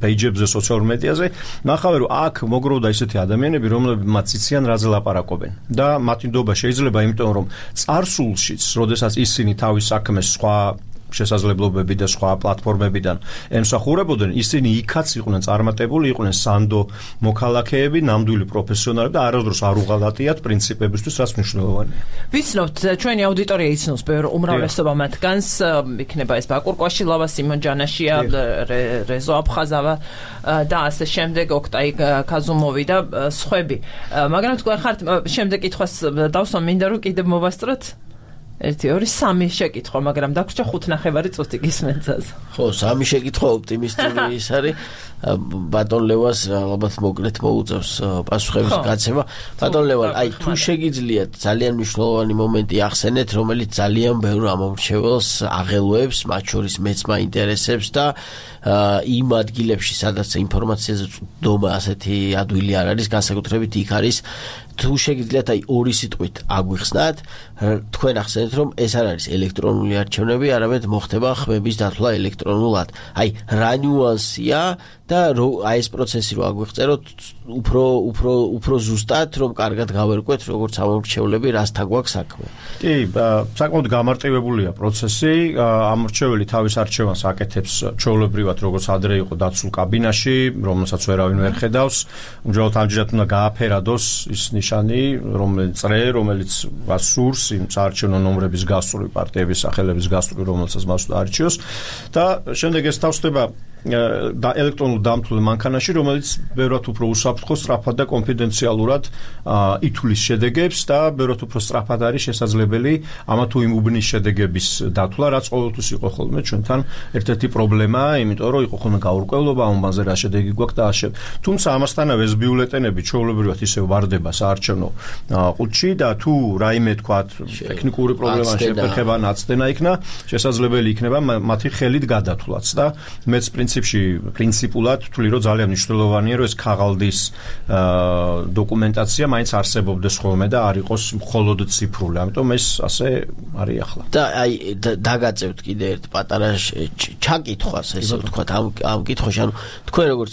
პეიჯებზე, სოციალურ მედიაზე, ნახავენ, რომ აქ მოგროვდა ისეთი ადამიანები, რომლებმაც იციან რაზე ლაპარაკობენ და მათი ნდობა შეიძლება, იმიტომ რომ წარსულში როდესაც ისინი თავის საქმეს სხვა შესაძლებლობები და სხვა პლატფორმებიდან ემსახურებოდნენ, ისინი იქაც იყვნენ წარმატებული, იყვნენ სანდო მოქალაქეები, ნამდვილი პროფესიონალები და არასდროს არ უღალატიათ პრინციპებისთვის, რაც მნიშვნელოვანია. ვიცნობთ, ჩვენი აუდიტორია იცნობს ბევრ უმრავლესობა მათგანს, იქნება ეს ბაკურ კვაშილავა, სიმონ ჯანაშია, რეზო აფხაზავა და ასე შემდეგ, ოქტაი კაზუმოვი და სხვები. მაგრამ თქვენ ხართ შემდეგ კითხვას დავსვამ, მინდა რომ კიდევ მოვასწროთ. 1 2 3 შეკითხვა, მაგრამ დაგვრჩა 5.5 წუთი გისმენცას. ხო, 3 შეკითხვა ოპტიმისტური ის არის. ბატონ ლევას ალბათ მოკლედ მოუწევს პასუხების გაცემა. ბატონ ლევა, აი თუ შეგიძლიათ ძალიან მნიშვნელოვანი მომენტი ახსენეთ, რომელიც ძალიან ბევრ ამომრჩეველს აღელვებს, მათ შორის მეც მაინტერესებს და იმ ადგილებში, სადაც ინფორმაციაზე წვდომა ასეთი ადვილი არ არის, განსაკუთრებით იქ არის. თუ შეგიძლიათ აი ორი სიტყვით აგვიხსნათ, თქვენ ახსენეთ, რომ ეს არ არის ელექტრონული არჩევნები, არამედ მოხდება ხმების დათვლა ელექტრონულად. აი რა ნიუანსია და აი ეს პროცესი რო აგვიღწეროთ, უფრო ზუსტად, რომ კარგად გავერკვეთ, როგორც ამორჩევლები, რასთან გვაქვს საქმე. კი, საკმაოდ გამარტივებულია პროცესი. ამორჩეველი თავის არჩევანს აკეთებს ჩვეულებრივად, როგორც ადრე იყო დაცულ კაბინაში, რომელსაც ვერავინ ვერ ხედავს. უბრალოდ ამჯერად უნდა გააფერადოს ის ნიშანი, რომელიც გასურს იმ საარჩევნო ნომრების გასწვრივ, პარტიების სახელების გასწვრივ, რომელსაც მას არჩიოს და შემდეგ ეს თავსდება და ელექტრონულ დამთვლელ მანქანაში, რომელიც ბევრად უფრო უსაფრთხო, სწრაფად და კონფიდენციალურად ითვლის შედეგებს და ბევრად უფრო სწრაფად არის შესაძლებელი ამა თუ იმ უბნის შედეგების დათვლა, რაც ყოველთვის იყო ხოლმე ჩვენთან ერთ-ერთი პრობლემა, იმიტომ რომ იყო ხოლმე გაურკვევლობა ამ უბანზე რა შედეგი გვაქვს და ასე. თუმცა ამასთანავე ეს ბიულეტენები ჩვეულებრივად ისევ ვარდება საარჩევნო ყუთში და თუ რაიმე თქვათ ტექნიკური პრობლემა შეფერხება, ნაცდენა იქნა, შესაძლებელი იქნება მათი ხელით გადათვლაც და მეც პრინციპულად ვთვლი, რომ ძალიან მნიშვნელოვანია, რომ ეს ქაღალდის დოკუმენტაცია მაინც არსებობდეს ხოლმე და არ იყოს მხოლოდ ციფრული. ამიტომ ეს ასე არის ახლა. და აი დაგაწევთ კიდე ერთ პატარა ჩაკითხვას, ესე ვთქვათ, ამ კითხვაში, ანუ თქვენ როგორც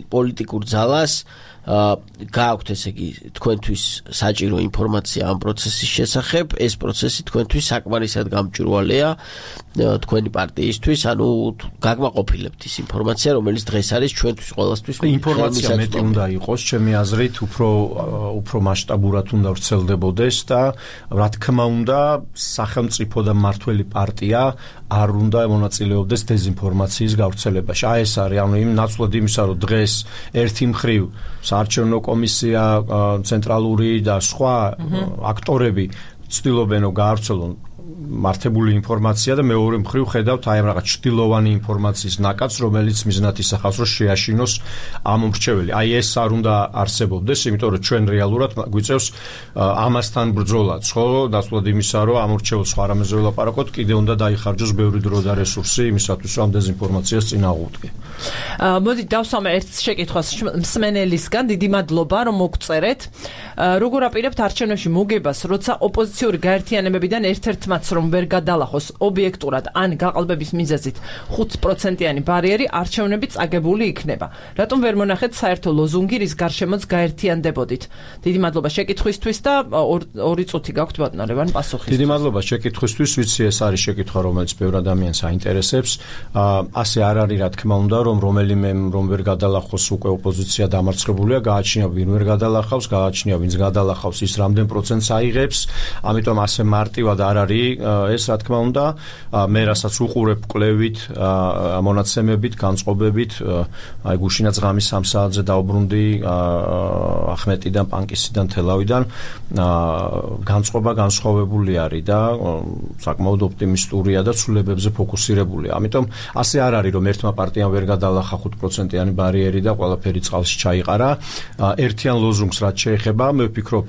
პოლიტიკურ ძალას გააქვთ ესე იგი თქვენთვის საჭირო ინფორმაცია ამ პროცესის შესახებ, ეს პროცესი თქვენთვის საკმარისად გამჭვირვალეა თქვენი პარტიისთვის, ანუ გაგმაყოფილებთ ის ინფორმაცია, რომელიც დღეს არის ჩვენთვის ყველასთვის ინფორმაცია მეტი უნდა იყოს, ჩემი აზრით, უფრო მასშტაბურად უნდა ვრცელდებოდეს და რა თქმა უნდა, სახელმწიფო და მმართველი პარტია არ უნდა მონაწილეობდეს დეზინფორმაციის გავრცელებაში. აი ეს არის, ანუ იმ ნაცვლად იმისა, რომ დღეს ერთი მხრივ საარჩევნო კომისია ცენტრალური და სხვა აქტორები ცდილობენ რომ გაავრცელონ მართებული ინფორმაცია და მეორე მხრივ ხედავთ აი ამ რაღაც ჭtillovani ინფორმაციის ნაკადს, რომელიც მიზნად ისახავს, რომ შეაშინოს ამ მრჩეველი. აი ეს არ უნდა არსებობდეს, იმიტომ რომ ჩვენ რეალურად გვიწევს ამასთან ბრძოლაც, ხო, დასწრად იმისა, რომ ამ მრჩეველს სხვა რამეზე ველაპარაკოთ, კიდე უნდა დაიხარჯოს ბევრი დრო და რესურსი იმისათვის, რომ ამ დეზინფორმაციას წინააღმდეგე. მოდი დავსვამე ერთ შეკითხვას მსმენელისგან, დიდი მადლობა, რომ მოგწერეთ. როგორ აპირებთ არჩევნებში მოგებას, როცა ოპოზიციური გაერთიანებებიდან ერთ-ერთმაც რომ ვერ გადალახოს ობიექტურად ან გაყალბების მიზეზით 5%-იანი ბარიერი არჩევნები წაგებული იქნება. რატომ ვერ მონახეთ საერთო ლოზუნგი, რის გარშემოც გაერთიანდებოდით? დიდი მადლობა შეკითხვისთვის და 2 წუთი გაქვთ ბატონო ლევან პასუხისთვის. დიდი მადლობა შეკითხვისთვის, ვიცი ეს არის შეკითხვა, რომელიც ბევრ ადამიანს აინტერესებს. ასე არ არის, რა თქმა უნდა, რომ რომელიმე რომ ვერ გადალახოს უკვე ოპოზიცია დამარცხებულია, გააჩნია ვინ ვერ გადალახავს, გააჩნია ვინც გადალახავს, ის რამდენ პროცენტს აიღებს, ამიტომ ასე მარტივად არ არის ეს რა თქმა უნდა, მე რასაც უყურებ კვლევით, მონაცემებით, განწყობებით, აი გუშინაც ღამის 3 საათზე დავბრუნდი ახმეტიდან, პანკისიდან, თელავიდან, განწყობა განსხვავებული არის და საკმაოდ ოპტიმისტურია და ცვლილებებზე ფოკუსირებულია. ამიტომ ასე არ არის, რომ ერთმა პარტიამ ვერ გადალახა 5%-იანი ბარიერი და ყველაფერი წყალში ჩაიყარა. ერთიან ლოზუნგს რაც შეეხება, მე ვფიქრობ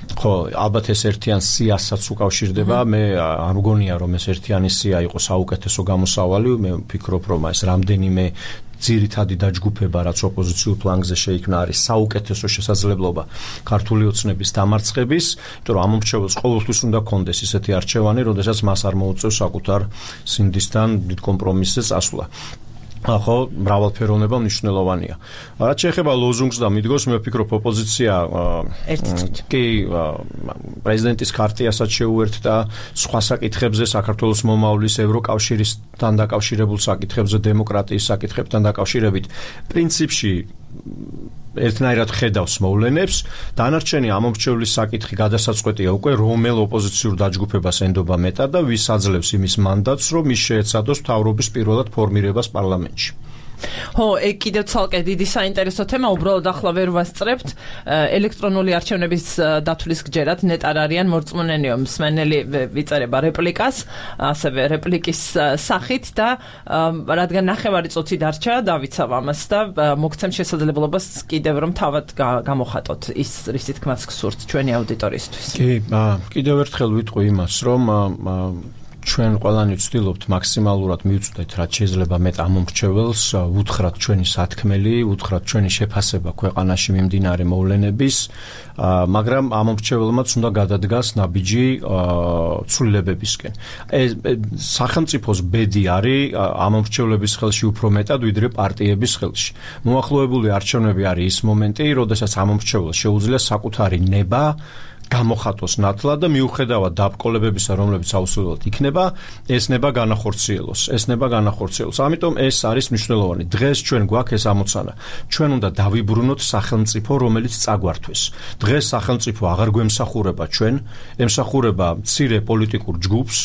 ხო, ალბათ ეს ერთიან სიასაც უკავშირდება. მე არ მგონია რომ ეს ერთიანი სია იყოს საუკეთესო გამოსავალი. მე ვფიქრობ რომ ეს რამდენიმე ძირითადი დაჯგუფება, რაც ოპოზიციურ ფლანგზე შეიქმნა, არის საუკეთესო შესაძლებლობა ქართული ოცნების დამარცხების, იმიტომ რომ ამ მრჩეველს ყოველთვის უნდა კონდეს ისეთი არჩევანი, როდესაც მას არ მოუწევს საკუთარ სინდისთან დიდ კომპრომისზე წასვლა. ხო, მრავალფეროვნება მნიშვნელოვანია. რაც შეეხება ლოზუნგს და მიდგოს, მე ვფიქრობ ოპოზიცია კი პრეზიდენტის ქარტიასაც შეუერთდა სხვა საკითხებზე, საქართველოს მომავლის ევროკავშირისთან დაკავშირებულ საკითხებზე, დემოკრატიის საკითხებთან დაკავშირებით, პრინციპში ერთნაირად ხედავს მოვლენებს. დანარჩენი ამომრჩევლის საკითხი გადასაწყვეტია უკვე რომელ ოპოზიციურ დაჯგუფებას ენდობა მეტად და ვის აძლევს იმის მანდატს, რომ ის შეეცადოს მთავრობის პირველად ფორმირებას პარლამენტში. ხო, კიდევ ცალკე დიდი საინტერესო თემა, უბრალოდ ახლა ვერ ვასწრებთ ელექტრონული არჩევნების დათვლის გჯერად ნეტარ არიან მორწმუნენიო მსმენელი ვიწერება რეპლიკას, ასევე რეპლიკის სახით და რადგან ნახევარი წუთი დარჩა, დავიცავ ამას და მოგცემ შესაძლებლობას კიდევ რომ თავად გამოხატოთ ის რისი თქმაც გსურთ ჩვენი აუდიტორიისთვის. კი, კიდევ ერთხელ ვიტყვი იმას, რომ ჩვენ ყველანი ვცდილობთ მაქსიმალურად მივწვდეთ რაც შეიძლება მეტ ამომრჩეველს, უთხრათ ჩვენი სათქმელი, უთხრათ ჩვენი შეფასება ქვეყანაში მიმდინარე მოვლენების, მაგრამ ამომრჩეველმაც უნდა გადადგას ნაბიჯი ცვლილებებისკენ. სახელმწიფოს ბედი არის ამომრჩევლების ხელში უფრო მეტად ვიდრე პარტიების ხელში. მოახლოებული არჩევნები არის ის მომენტი, როდესაც ამომრჩეველს შეუძლია საკუთარი ნება გამოხატოს ნათლად და მიუხედავად დაბრკოლებებისა, რომლებიც აუცილებლად იქნება, ეს ნება განახორციელოს. ამიტომ ეს არის მნიშვნელოვანი. დღეს ჩვენ გვაქვს ეს ამოცანა. ჩვენ უნდა დავიბრუნოთ სახელმწიფო, რომელიც წაგვართვეს. დღეს სახელმწიფო აღარ გვემსახურება ჩვენ, ემსახურება მცირე პოლიტიკურ ჯგუფს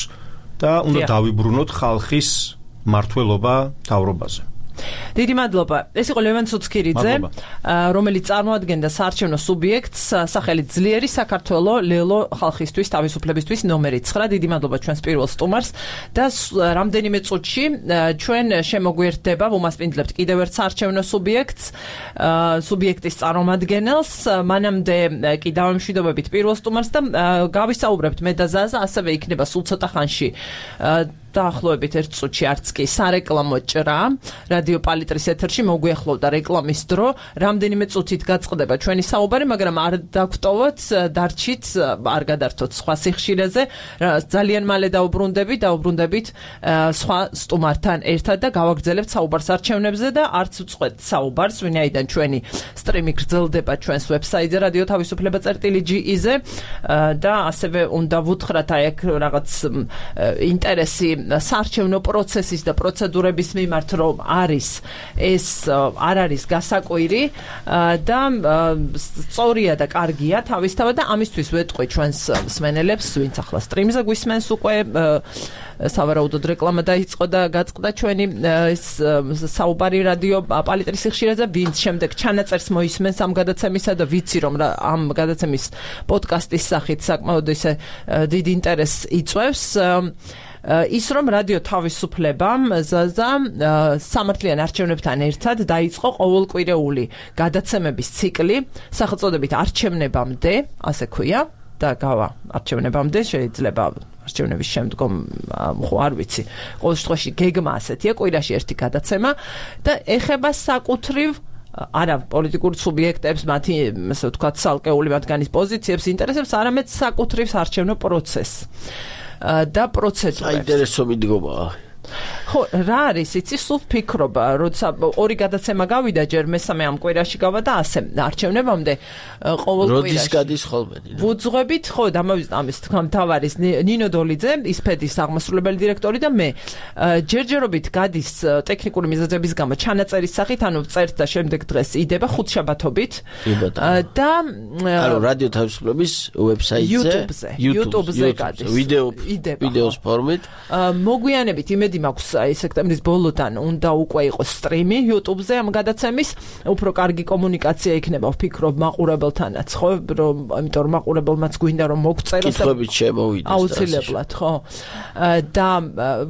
და უნდა დავიბრუნოთ ხალხის მართლობა თავრობაზე. დიდი მადლობა. ეს იყო ლევან ცუცქირიძე, რომელიც წარმოადგენდა საარჩევნო სუბიექტს სახელით ძლიერი საქართველო ლელო ხალხისთვის თავისუფლებისთვის ნომერი 9. დიდი მადლობა ჩვენს პირველ სტუმარს და რამდენიმე წუთში ჩვენ შემოგვიერთდება, ვუმასპინძლებთ კიდევ ერთ საარჩევნო სუბიექტის წარმომადგენელს. მანამდე კი დავემშვიდობებით პირველ სტუმარს და გავისაუბრებთ მე და ზაზა, ასევე იქნება სულ ცოტა ხანში დაახლოებით 1 წუთში არც კი სარეკლამო ჭრა რადიო პალიტრის ეთერში მოგვიახლოვდა რეკლამის დრო. რამდენიმე წუთით გაწყდება ჩვენი საუბარი, მაგრამ არ დაგვტოვოთ, დარჩით, არ გადართოთ სხვა სიხშირეზე. ძალიან მალე დაუბრუნდებით სხვა სტუმართან ერთად და გავაგრძელებთ საუბარს არჩევნებზე და არც უწყვეტ საუბარს, ვინაიდან ჩვენი სტრიმი გრძელდება ჩვენს ვებსაიტზე რადიო თავისუფლება.ge-ზე და ასევე უნდა ვუთხრათ აი აქ რაღაც ინტერესი საარჩევნო პროცესის და პროცედურების მიმართ რომ არის ეს არ არის გასაკვირი და სწორია და კარგია თავისთავად და ამისთვის ვეტყვი ჩვენს მსმენელებს, ვინც ახლა სტრიმზე გვისმენს უკვე სავარაუდოდ რეკლამა დაიწყო და გაწყდა ჩვენი საუბარი რადიო პალიტრის ხშირაზე, ვინც შემდეგ ჩანაწერს მოისმენს ამ გადაცემისა და ვიცი რომ ამ გადაცემის პოდკასტის სახით საკმაოდ ისე დიდ ინტერესს იწვევს ის რომ რადიო თავისუფლებამ სამართლიან არჩევნებთან ერთად დაიწყო ყოველკვირეული გადაცემების ციკლი სახელწოდებით არჩევნებამდე, ასე ქვია და გავა არჩევნებამდე შეიძლება არჩევნების შემდგომ ხო არ ვიცი ყოველ შემთხვევაში გეგმა ასეთია კვირაში ერთი გადაცემა და ეხება საკუთრივ არა პოლიტიკურ სუბიექტებს მათი ასე ვთქვათ ცალკეული მათგანის პოზიციებს ინტერესებს არამედ საკუთრივ არჩევნო პროცესს და პროცედურებს საინტერესო მიდგომაა ხო რა არის იცი სულ ფიქრობ როცა ორი გადაცემა გავიდა ჯერ მესამე ამ კვირაში გავა და ასე არჩევნებამდე ყოველ კვირაში როდის გადის ხოლმე ვუძღვებით ხო დამავიწყდა ამის თქმა თავარის ნინო დოლიძე ისფედის აღმასრულებელი დირექტორი და მე ჯერჯერობით გადის ტექნიკური მიზეზების გამო ჩანაწერის სახით ანუ წერთ და შემდეგ დღეს იდება ხუთშაბათობით და ანუ რადიო თავისუფლების ვებსაიტზე YouTube-ზე გადის ვიდეოს ფორმით მოგვიანებით იმედი მაქვს აი სექტემბრის ბოლოდან უნდა უკვე იყოს სტრიმი YouTube-ზე ამ გადაცემის უფრო კარგი კომუნიკაცია იქნება ვფიქრობ მაყურებელთანაც ხო რომ ამიტომ მაყურებელმაც გვინდა რომ მოგწეროს კითხვებით შემოვიდეს აუცილებლად ხო და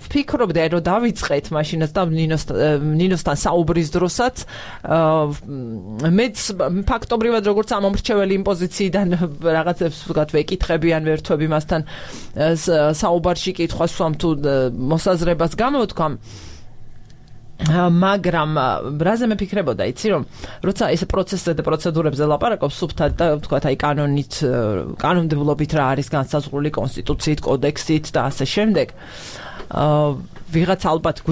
ვფიქრობ და რომ დავიწყეთ მაშინაც და ნინოსთან საუბრის დროსაც მეც ფაქტობრივად როგორც ამომრჩეველი იმ პოზიციიდან რაღაცებს ვთქვათ ვეკითხები ან ვერთვები მასთან საუბარში კითხვას ვსვამ თუ მოსაზრებას გამოვთქვამ მაგრამ რაზე მე ფიქრებოდა იცი რომ როცა ეს პროცესზე და პროცედურებზე ლაპარაკობს სუფთად და ვთქვათ აი კანონმდებლობით რა არის განსაზღვრული კონსტიტუციით, კოდექსით და ასე შემდეგ ვიღაც ალბათ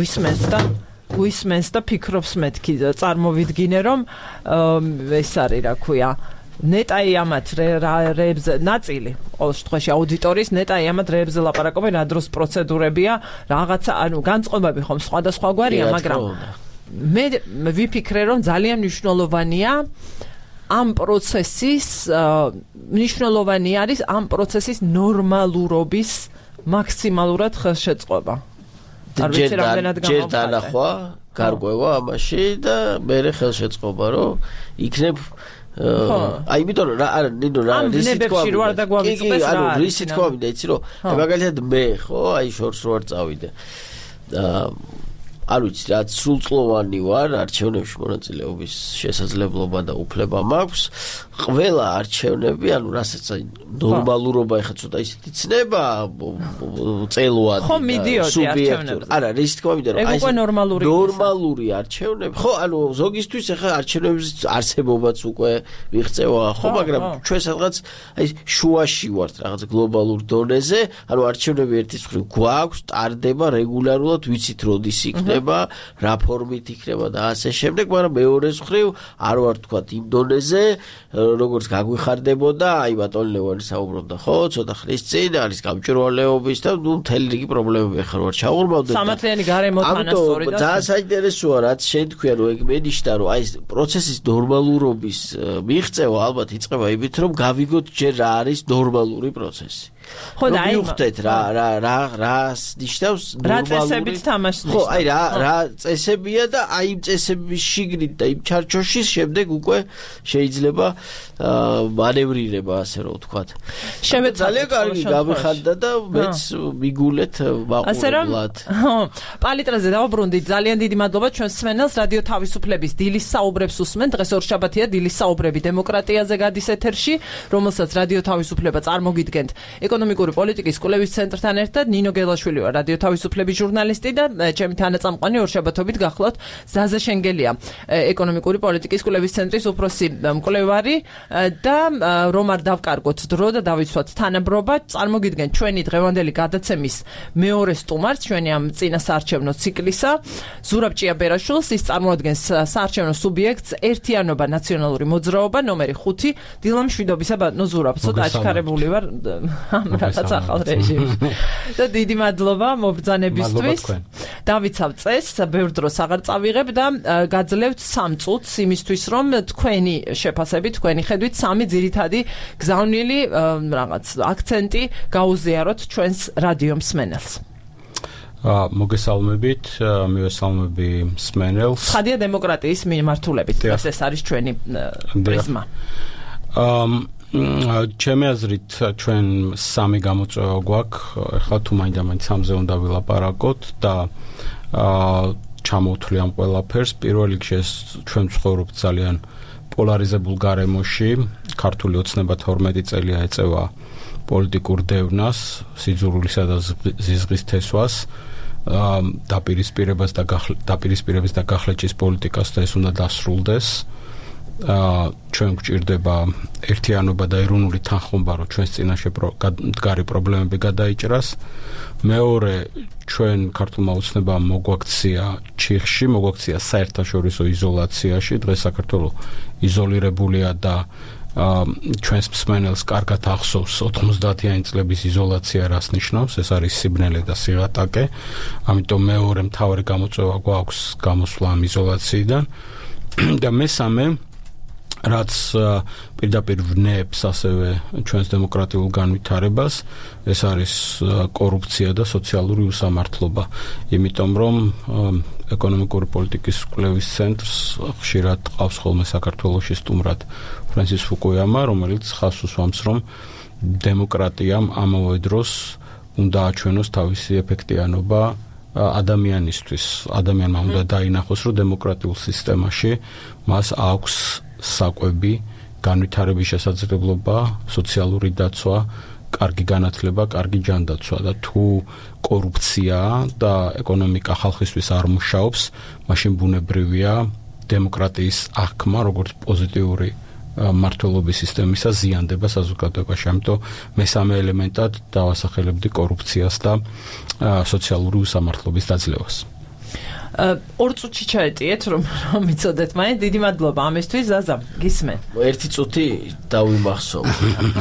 გვისმენს და ფიქრობს მეთქი წარმოვიდგინე რომ ეს არის რა ქვია ნეტაი ამათ რეებზე ნაწილი ყოველ შემთხვევაში აუდიტორიის ნეტაი ამათ რეებზე ლაპარაკობენ რა დროს პროცედურებია რაღაცა ანუ განწყობები ხომ სხვადასხვაგვარია მაგრამ მე ვიფიქრე რომ ძალიან მნიშვნელოვანია ამ პროცესის მნიშვნელოვანი არის ამ პროცესის ნორმალურობის მაქსიმალურად ხელშეწყობა არ ვიცი რამდენად ჯერ დანახვა გარკვევა ამაში და მე ხელშეწყობა რომ იქნებ აი იმიტომ რომ არა ნინო რა რისი თქვა მინდა იცი რომ მაგალითად მე ხო აი შორს რო არ წავიდე არ ვიცი რა სრულწლოვანი ვარ არჩევნებში მონაწილეობის შესაძლებლობა და უფლება მაქვს ყველა არჩევნები ანუ რასაც აი ნორმალურობა ეხა ცოტა ისეთი ცნება წელვადი ხო მიდიოდი არჩევნებზე არა რისი თქვა მინდა რომ აი ნორმალური არჩევნები ხო ანუ ზოგისთვის ეხა არჩევნების არსებობაც უკვე მიღწევა ხო მაგრამ ჩვენ სადღაც აი შუაში ვართ რაღაც გლობალურ დონეზე ანუ არჩევნები ერთის მხრივ გვაქვს ტარდება რეგულარულად ვიცით როდის იქნება რა ფორმით იქნება და ასე შემდეგ მაგრამ მეორეს მხრივ არ ვარ თქვა იმ დონეზე როგორც გაგვიხარდებოდა აი ბატონ ლევანი საუბრობდა ხო ცოტა ხნის წინ არის გამჭვირვალეობის და ნუ მთელი რიგი პრობლემები ახლა ვარ ჩაღურმავდა სამართლიანი გარემო თანასწორი და ძალიან საინტერესოა რაც შენ თქვია რომ ეგ მენიშნა რომ აი პროცესის ნორმალურობის მიღწევა ალბათ იწყება იმით რომ გავიგოთ ჯერ რა არის ნორმალური პროცესი ხო და აი ვიხდეთ რას ნიშნავს რა წესებით თამაშს ხო აი რა წესებია და აი იმ წესების შიგნით და იმ ჩარჩოში შემდეგ უკვე შეიძლება მანევრირება ასე რომ ვთქვათ ძალიან კარგი გამიხარდა და მეც მიგულეთ მაყურებლად პალიტრაზე დავბრუნდით ძალიან დიდი მადლობა ჩვენს მსმენელს რადიო თავისუფლების დილის საუბრებს უსმენ დღეს ორშაბათია დილის საუბრები დემოკრატიაზე გადის ეთერში რომელსაც რადიო თავისუფლება წარმოგიდგენთ ეკონომიკური პოლიტიკის კვლევის ცენტრთან ერთად ნინო გელაშვილი ვარ რადიო თავისუფლების ჟურნალისტი და ჩემი თანაწამყვანი ორშაბათობით გახლავთ ზაზა შენგელია ეკონომიკური პოლიტიკის კვლევის ცენტრის უფროსი მკვლევარი და რომ არ დავკარგოთ დრო და დავიცვათ თანაბრობა წარმოგიდგენ ჩვენი დღევანდელი გადაცემის მეორე სტუმარს ჩვენი ამ წინა საარჩევნო ციკლისა ზურაბ ჭიაბერაშვილს ის წარმოადგენს საარჩევნო სუბიექტს ერთიანობა ნაციონალური მოძრაობა ნომერი 5 დილამშვიდობისა ბატონო ზურაბ ცოტა აჩქარებული ვარ რაღაც ახალ რეჟიმში. და დიდი მადლობა მობრძანებისთვის. დავიცავ წესს, ბევრ დროს აღარ წავიღებ და გაძლევთ 3 წუთს იმისთვის, რომ თქვენი შეფასებით, თქვენი ხედვით 3 ძირითადი გზავნილი რაღაც აქცენტი გაუზიაროთ ჩვენს რადიო მსმენელს. მოგესალმებით, მივესალმები მსმენელს. ხადია დემოკრატიის მიმართულებით, ეს არის ჩვენი პრიზმა. ჩემი აზრით ჩვენ 3 გამოწვევა გვაქვს, ეხლა თუ მაინდა-მაინც 3-ზე უნდა ვილაპარაკოთ და ჩამოვთვლი ამ ყველაფერს. პირველ რიგში ჩვენ ვცხოვრობთ ძალიან პოლარიზებულ გარემოში, ქართული ოცნება 12 წელია ეწევა პოლიტიკურ დევნას, სიძულვილისა და ზიზღის თესვას, დაპირისპირებას და გახლეჭის პოლიტიკას და ეს უნდა დასრულდეს. ჩვენ გვჭირდება ერთიანობა და ეროვნული თანხმობა, რომ ჩვენს წინაშე მდგარი პრობლემები გადაიჭრას. მეორე, ჩვენ ქართულმა ოცნებამ მოგვაქცია ჩიხში, მოგვაქცია საერთაშორისო იზოლაციაში. დღეს საქართველო იზოლირებულია და ჩვენს მსმენელს კარგად ახსოვს 90-იანი წლების იზოლაცია რას ნიშნავს, ეს არის სიბნელე და სიღატაკე. ამიტომ მეორე მთავარი გამოწვევა გვაქვს გამოსვლა ამ იზოლაციიდან. და მესამე, რაც პირდაპირ ვნებს ასევე ჩვენს დემოკრატიულ განვითარებას, ეს არის კორუფცია და სოციალური უსამართლობა. იმიტომ რომ ეკონომიკური პოლიტიკის კვლევის ცენტრს ხშირად ყავს ხოლმე საქართველოში სტუმრად ფრენსის ფუკუიამა, რომელიც ხაზს უსვამს, რომ დემოკრატიამ ამავე დროს უნდა აჩვენოს თავისი ეფექტიანობა ადამიანისთვის. ადამიანმა უნდა დაინახოს, რომ დემოკრატიულ სისტემაში მას აქვს საკვები, განვითარების შესაძლებლობა, სოციალური დაცვა, კარგი განათლება, კარგი ჯანდაცვა და თუ კორუფცია და ეკონომიკა ხალხისთვის არ მუშაობს, მაშინ ბუნებრივია დემოკრატიის აღქმა, როგორც პოზიტიური მმართველობის სისტემისა ზიანდება საზოგადოებაში. ამიტომ მესამე ელემენტად დავასახელებდი კორუფციას და სოციალური უსამართლობის დაძლევას. 2 წუთში ჩაეტიეთ, რომ მიცოდეთ მაინც. დიდი მადლობა ამისთვის, ზაზა, გისმენ. 1 წუთი დავიმახსოვ.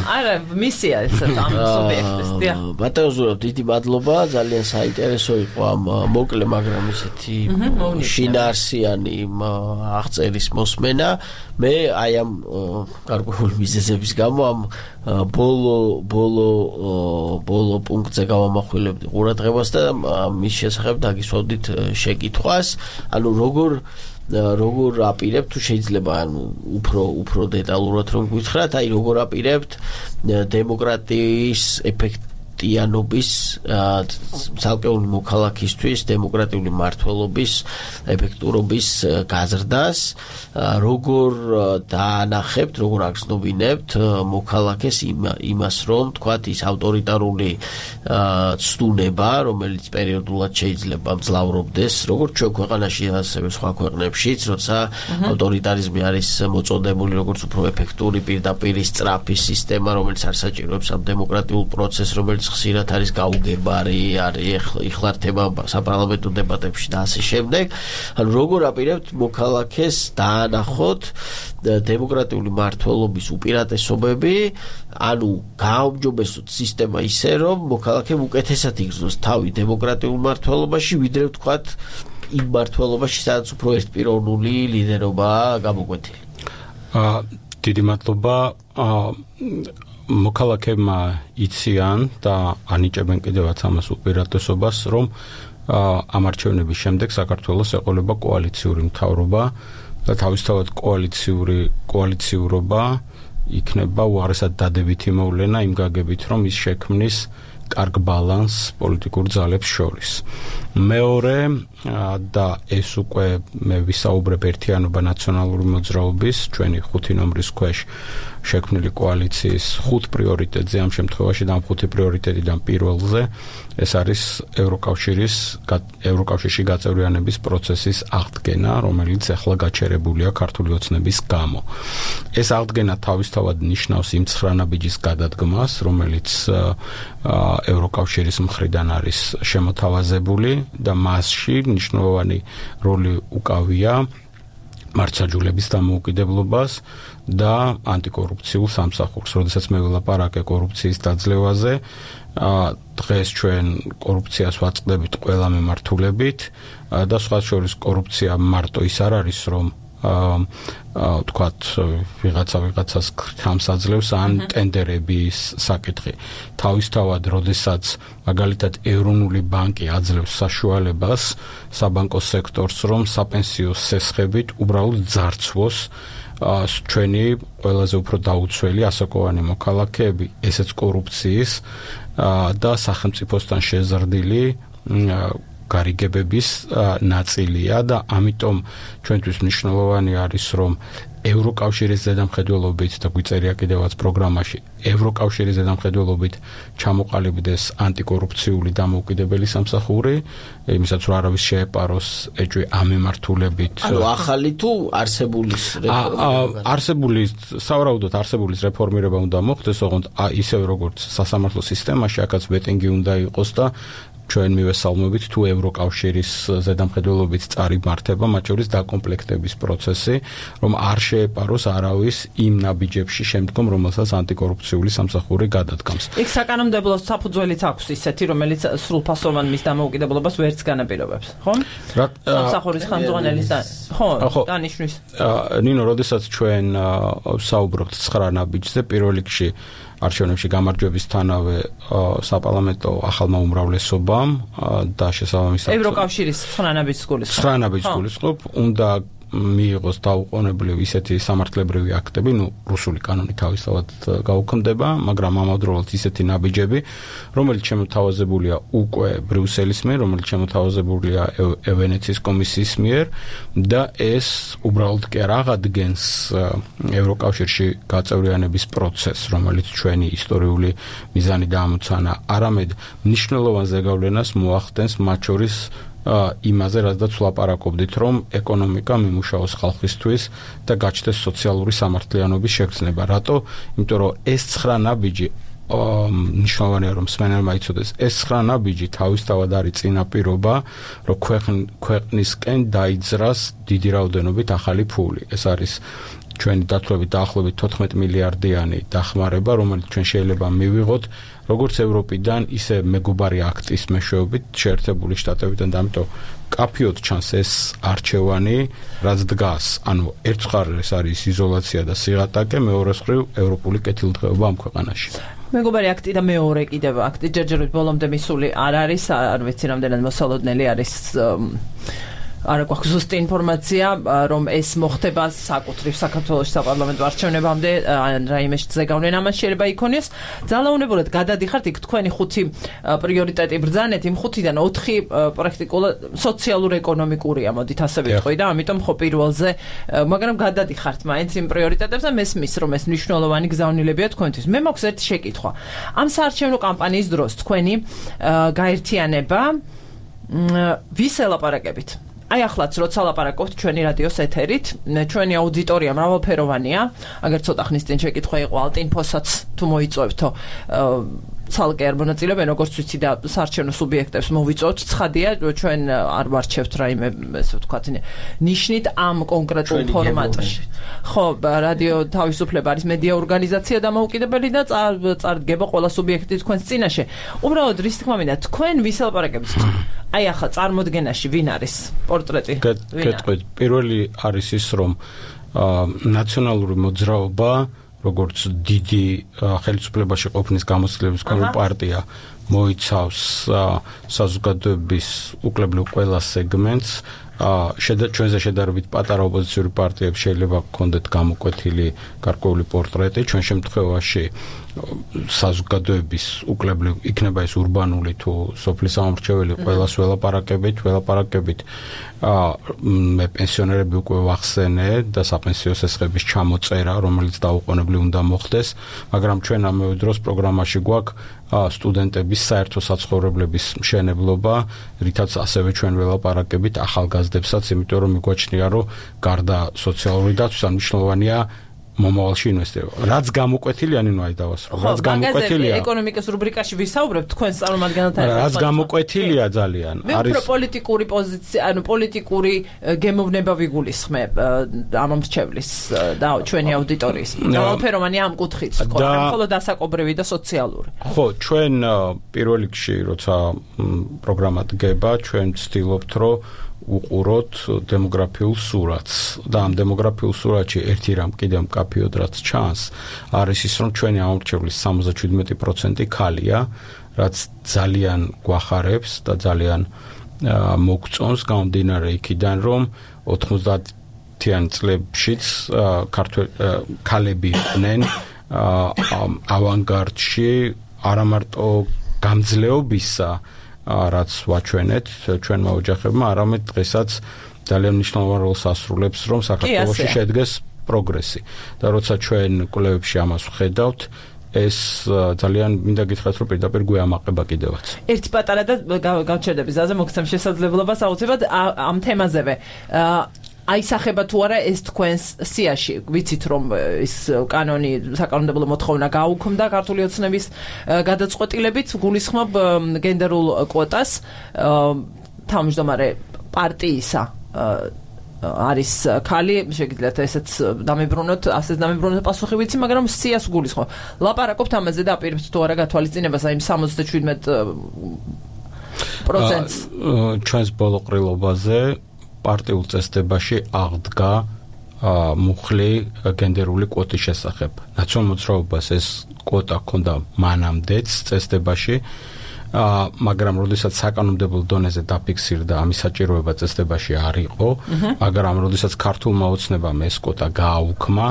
არა, მისია ეს ამ სუბიექტის. ბატონო ზურაბ, დიდი მადლობა, ძალიან საინტერესო იყო ამ მოკლე, მაგრამ ისეთი შინაარსიანი აღწერის მოსმენა. მე აი ამ გარკვეული მიზეზების გამო ამ ბოლო პუნქტზე გავამახვილებდი ყურადღებას და მის შესახებ დაგისვავდით შეკითხვას. ანუ როგორ აპირებთ, თუ შეიძლება ანუ უფრო დეტალურად რომ გითხრათ, აი როგორ აპირებთ დემოკრატიის ეფექტიანობის ცალკეული მოქალაქისთვის დემოკრატიული მმართველობის ეფექტურობის გაზრდას, როგორ დაანახებთ, როგორ აგრძნობინებთ მოქალაქეს იმას, რომ თქვათ ის ავტორიტარული ცდუნება, რომელიც პერიოდულად შეიძლება მძლავრობდეს, როგორც ჩვენ ქვეყანაში, ასევე სხვა ქვეყნებშიც, როცა ავტორიტარიზმი არის მოწოდებული როგორც უფრო ეფექტური პირდაპირ სწრაფი სისტემა, რომელიც არ საჭიროებს ამ დემოკრატიულ პროცესს, რომელიც ხშირად არის გაუგებარი, არის იხლართება საპარლამენტო დებატებში და ასე შემდეგ. ანუ როგორ აპირებთ მოქალაქეს დაანახოთ დემოკრატიული მმართველობის უპირატესობები, ანუ გააუმჯობესოთ სისტემა ისე, რომ მოქალაქემ უკეთესად იგრძნოს თავი დემოკრატიულ მმართველობაში, ვიდრე ვთქვათ იმ მმართველობაში, სადაც უფრო ერთპიროვნული ლიდერობაა გამოკვეთილი. დიდი მადლობა. მოქალაქეებმა იციან და ანიჭებენ კიდევაც ამას უპირატესობას, რომ ამ არჩევნების შემდეგ საქართველოს ეყოლება კოალიციური მთავრობა და თავისთავად კოალიციურობა იქნება უაღრესად დადებითი მოვლენა იმ გაგებით, რომ ის შექმნის კარგ ბალანსს პოლიტიკურ ძალებს შორის. მეორე და ეს უკვე მე ვისაუბრებ ერთიანობა ნაციონალური მოძრაობის ჩვენი 5 ნომრის ქვეშ შექმნილი კოალიციის 5 პრიორიტეტზე, ამ შემთხვევაში და ამ 5 პრიორიტეტიდან პირველზე ეს არის ევროკავშირში გაწევრიანების პროცესის აღდგენა, რომელიც ახლა გაჩერებულია ქართული ოცნების გამო. ეს აღდგენა თავისთავად ნიშნავს იმ 9 ნაბიჯის გადადგმას, რომელიც ევროკავშირის მხრიდან არის შემოთავაზებული და მასში მნიშვნელოვანი როლი უკავია მართლმსაჯულების დამოუკიდებლობას და ანტიკორუფციულ სამსახურს. როდესაც მე ვილაპარაკე კორუფციის დაძლევაზე, დღეს ჩვენ კორუფციას ვაწყდებით ყველა მიმართულებით და სხვა შორის კორუფცია მარტო ის არ არის, რომ თქვათ ვიღაცას ხამს აძლევს ან ტენდერების საკითხი. თავისთავად, როდესაც მაგალითად ეროვნული ბანკი აძლევს საშუალებას საბანკო სექტორს, რომ საპენსიო სესხებით უბრალოდ ძარცვოს ჩვენი ყველაზე უფრო დაუცველი ასაკოვანი მოქალაქეები, ესეც კორუფციის და სახელმწიფოსთან შეზრდილი გარიგებების ნაწილია და ამიტომ ჩვენთვის მნიშვნელოვანი არის, რომ ევროკავშირის ზედამხედველობით და გვიწერია კიდევაც პროგრამაში, ევროკავშირის ზედამხედველობით ჩამოყალიბდეს ანტიკორუფციული დამოუკიდებელი სამსახური, იმისაც რომ არავის შეეპაროს ეჭვი ამ მიმართულებით. ანუ ახალი თუ არსებულის რეფორმირება? სავარაუდოდ არსებულის რეფორმირება უნდა მოხდეს, ოღონდ ისევ როგორც სასამართლო სისტემაში, აქაც ვეტინგი უნდა იყოს და ჩვენ მივესალმებით თუ ევროკავშირის ზედამხედველობით წარიმართება, მათ შორის დაკომპლექტების პროცესი, რომ არ შეეპაროს არავის იმ ნაბიჯებში შემდგომ, რომელსაც ანტიკორუფციული სამსახური გადადგამს. იქ საკანონმდებლო საფუძველიც აქვს ისეთი, რომელიც სრულფასოვან მის დამოუკიდებლობას ვერც განაპირობებს, ხო? სამსახურის ხელმძღვანელის ხო, დანიშვნის. ნინო, როდესაც ჩვენ საუბრობთ 9 ნაბიჯზე, პირველ რიგში არჩევნებში გამარჯვებისთანავე საპარლამენტო ახალმა უმრავლესობამ და შესაბამისად ევროკავშირის 9 ნაბიჯს გულისხმობ, უნდა მიიღოს დაუყოვნებლივ ისეთი სამართლებრივი აქტები, რუსული კანონი თავისთავად გაუქმდება, მაგრამ ამავდროულად ისეთი ნაბიჯები, რომელიც შემოთავაზებულია უკვე ბრიუსელის მიერ, რომელიც შემოთავაზებულია ვენეციის კომისიის მიერ და ეს უბრალოდ კი არ აღადგენს ევროკავშირში გაწევრიანების პროცესს, რომელიც ჩვენი ისტორიული მიზანი დაამოცანა, არამედ მნიშვნელოვან ზეგავლენას მოახდენს მათ შორის იმაზე, რადგან ვლაპარაკობდით, რომ ეკონომიკა მიმუშაოს ხალხისთვის და გაჩნდეს სოციალური სამართლიანობის შეგრძნება. რატო? იმიტომ რომ ეს 9 ნაბიჯი მნიშვნელოვანია, რომ მსმენელმა იცოდეს, ეს 9 ნაბიჯი თავისთავად არის წინაპირობა, რომ ქვეყნისკენ დაიძრას დიდი რაოდენობით ახალი ფული. ეს არის ჩვენი დათვლებით დაახლოებით 14 მილიარდიანი დახმარება, რომელიც ჩვენ შეიძლება მივიღოთ როგორც ევროპიდან, ისე მეგობარი აქტის მეშვეობით შეერთებული შტატებიდან და ამიტომ კაფიოდ ჩანს ეს არჩევანი, რაც დგას. ანუ ერთ მხარეს არის იზოლაცია და სიღატაკე, მეორე მხრივ ევროპული კეთილდღეობა ამ ქვეყანაში. მეგობარი აქტი და მეორე კიდევ აქტი ჯერჯერობით ბოლომდე მისული არ არის, არ ვიცი რამდენად მოსალოდნელი არის არ გვაქვს ზუსტი ინფორმაცია, რომ ეს მოხდება საკუთრივ საქართველოს საპარლამენტო არჩევნებამდე, რაიმე ზეგავლენა ამას შეიძლება იქონიოს. ძალაუნებურად გადადიხართ იქ თქვენი 5 პრიორიტეტი ბრძანეთ, იმ 5-დან 4 პრაქტიკულად სოციალურ-ეკონომიკურია, მოდით ასე ვიტყვი და ამიტომ ხო პირველზე, მაგრამ გადადიხართ მაინც იმ პრიორიტეტებს და მესმის, რომ ეს მნიშვნელოვანი გზავნილებია თქვენთვის. მე მაქვს ერთი შეკითხვა. ამ საარჩევნო კამპანიის დროს თქვენი გაერთიანება ვის ელაპარაკებით? აი ახლაც როცა ლაპარაკობთ ჩვენი რადიოს ეთერით, ჩვენი აუდიტორია მრავალფეროვანია, აგერ ცოტა ხნის წინ შეკითხვა იყო ალტინფოსაც თუ მოიწვევთო ცალკე არ მონაწილეობენ, როგორც ვიცი და საარჩევნო სუბიექტებს მოვიწვევთ, ცხადია, ჩვენ არ ვარჩევთ რაიმე, ესე ვთქვათ, ნიშნით ამ კონკრეტულ ფორმატში. ხო, რადიო თავისუფლება არის მედია ორგანიზაცია დამოუკიდებელი და წარდგება ყველა სუბიექტი თქვენს წინაშე. უბრალოდ რის თქმა მინდა, თქვენ ვის ელაპარაკებთ? აი ახლა წარმოდგენაში ვინ არის პორტრეტი? გეტყვით, პირველი არის ის, რომ ნაციონალური მოძრაობა როგორც დიდი ხელისუფლებაში ყოფნის გამოცდილების პარტია მოიცავს საზოგადოების უკლებლიურ ყველა სეგმენტს, ჩვენზე შედარებით პატარა ოპოზიციური პარტიებს შეიძლება გქონდეთ გამოკვეთილი გარკვეული პორტრეტი, ჩვენ შემთხვევაში საზოგადოების უკლებლივ იქნება ეს ურბანული თუ სოფლის სამორჩეველი ყველას ველაპარაკებით მე პენსიონერები უკვე ვახსენე და საპენსიო სესხების ჩამოწერა, რომელიც დაუყოვნებლივ უნდა მოხდეს, მაგრამ ჩვენ ამავე დროს პროგრამაში გვაქვს სტუდენტების საერთო საცხოვრებლების მშენებლობა, რითაც ასევე ჩვენ ველაპარაკებით ახალგაზრდებსაც, იმიტომ რომ მიგვაჩნია, რომ გარდა სოციალური დაცვის მნიშვნელოვანია მომავალში ინვესტირება. რაც გამოკვეთილი ანინვაი დავასრულო. რაც გამოკვეთილია. ეკონომიკის რუბრიკაში ვისაუბრებთ თქვენ წარმომადგენელთან. რაც გამოკვეთილია ძალიან. არის პოლიტიკური პოზიცია, პოლიტიკური გემოვნება ვიგულისხმებ ამ მრჩევლის და ჩვენი აუდიტორიის. ყველაფეროვანი ამ კუთხით თქო, მხოლოდ დასაკობრივი და სოციალური. ხო, ჩვენ პირველ რიგში როცა პროგრამა დგება, ჩვენ ვცდილობთ, რომ უყუროთ დემოგრაფიულ სურათს და ამ დემოგრაფიულ სურათში ერთი რამ კიდევ მკაფიოდ რაც ჩანს არის ის რომ ჩვენი ამორჩევლის 77% ქალია რაც ძალიან გვახარებს და ძალიან მოგწონს გამომდინარე იქიდან რომ 90-იან წლებშიც ქალები იყვნენ ავანგარდში არა მარტო გამძლეობისა რაც ვაჩვენეთ ჩვენმა ოჯახებმა, არამედ დღესაც ძალიან მნიშვნელოვან როლს ასრულებს, რომ საქართველოში შედგეს პროგრესი. და როცა ჩვენ კვლევებში ამას ვხედავთ, ეს ძალიან მინდა გითხრათ, რომ პირდაპირ გვეამაყება კიდევაც. ერთი პატარა და გავჩერდები ზაზე მოგცემ შესაძლებლობას აუცილებლად ამ თემაზევე. აისახება თუ არა ეს თქვენს სიაში ვიცით რომ ის კანონი საკანონმდებლო მოთხოვნა გაუქმდა ქართული ოცნების გადაწყვეტილებით გულისხმობ გენდერულ კვოტას თავმჯდომარე პარტიისა არის ქალი შეგიძლიათ ესეც დამებრუნოთ ასეც დამებრუნოთ პასუხი ვიცი მაგრამ სიას გულისხმობ ლაპარაკობთ ამაზე და აპირებთ თუ არა გათვალისწინებას აი 77%-ს ჩვენს ბოლო ყრილობაზე პარტიულ წესდებაში აღდგა მუხლი გენდერული კვოტის შესახებ. ნაციონალურ მოძრაობას ეს კვოტა ჰქონდა მანამდეც წესდებაში, მაგრამ როდესაც საკანონმდებლო დონეზე დაფიქსირდა ამის საჭიროება წესდებაში არ იყო, მაგრამ როდესაც ქართულმა ოცნებამ ეს კვოტა გააუქმა,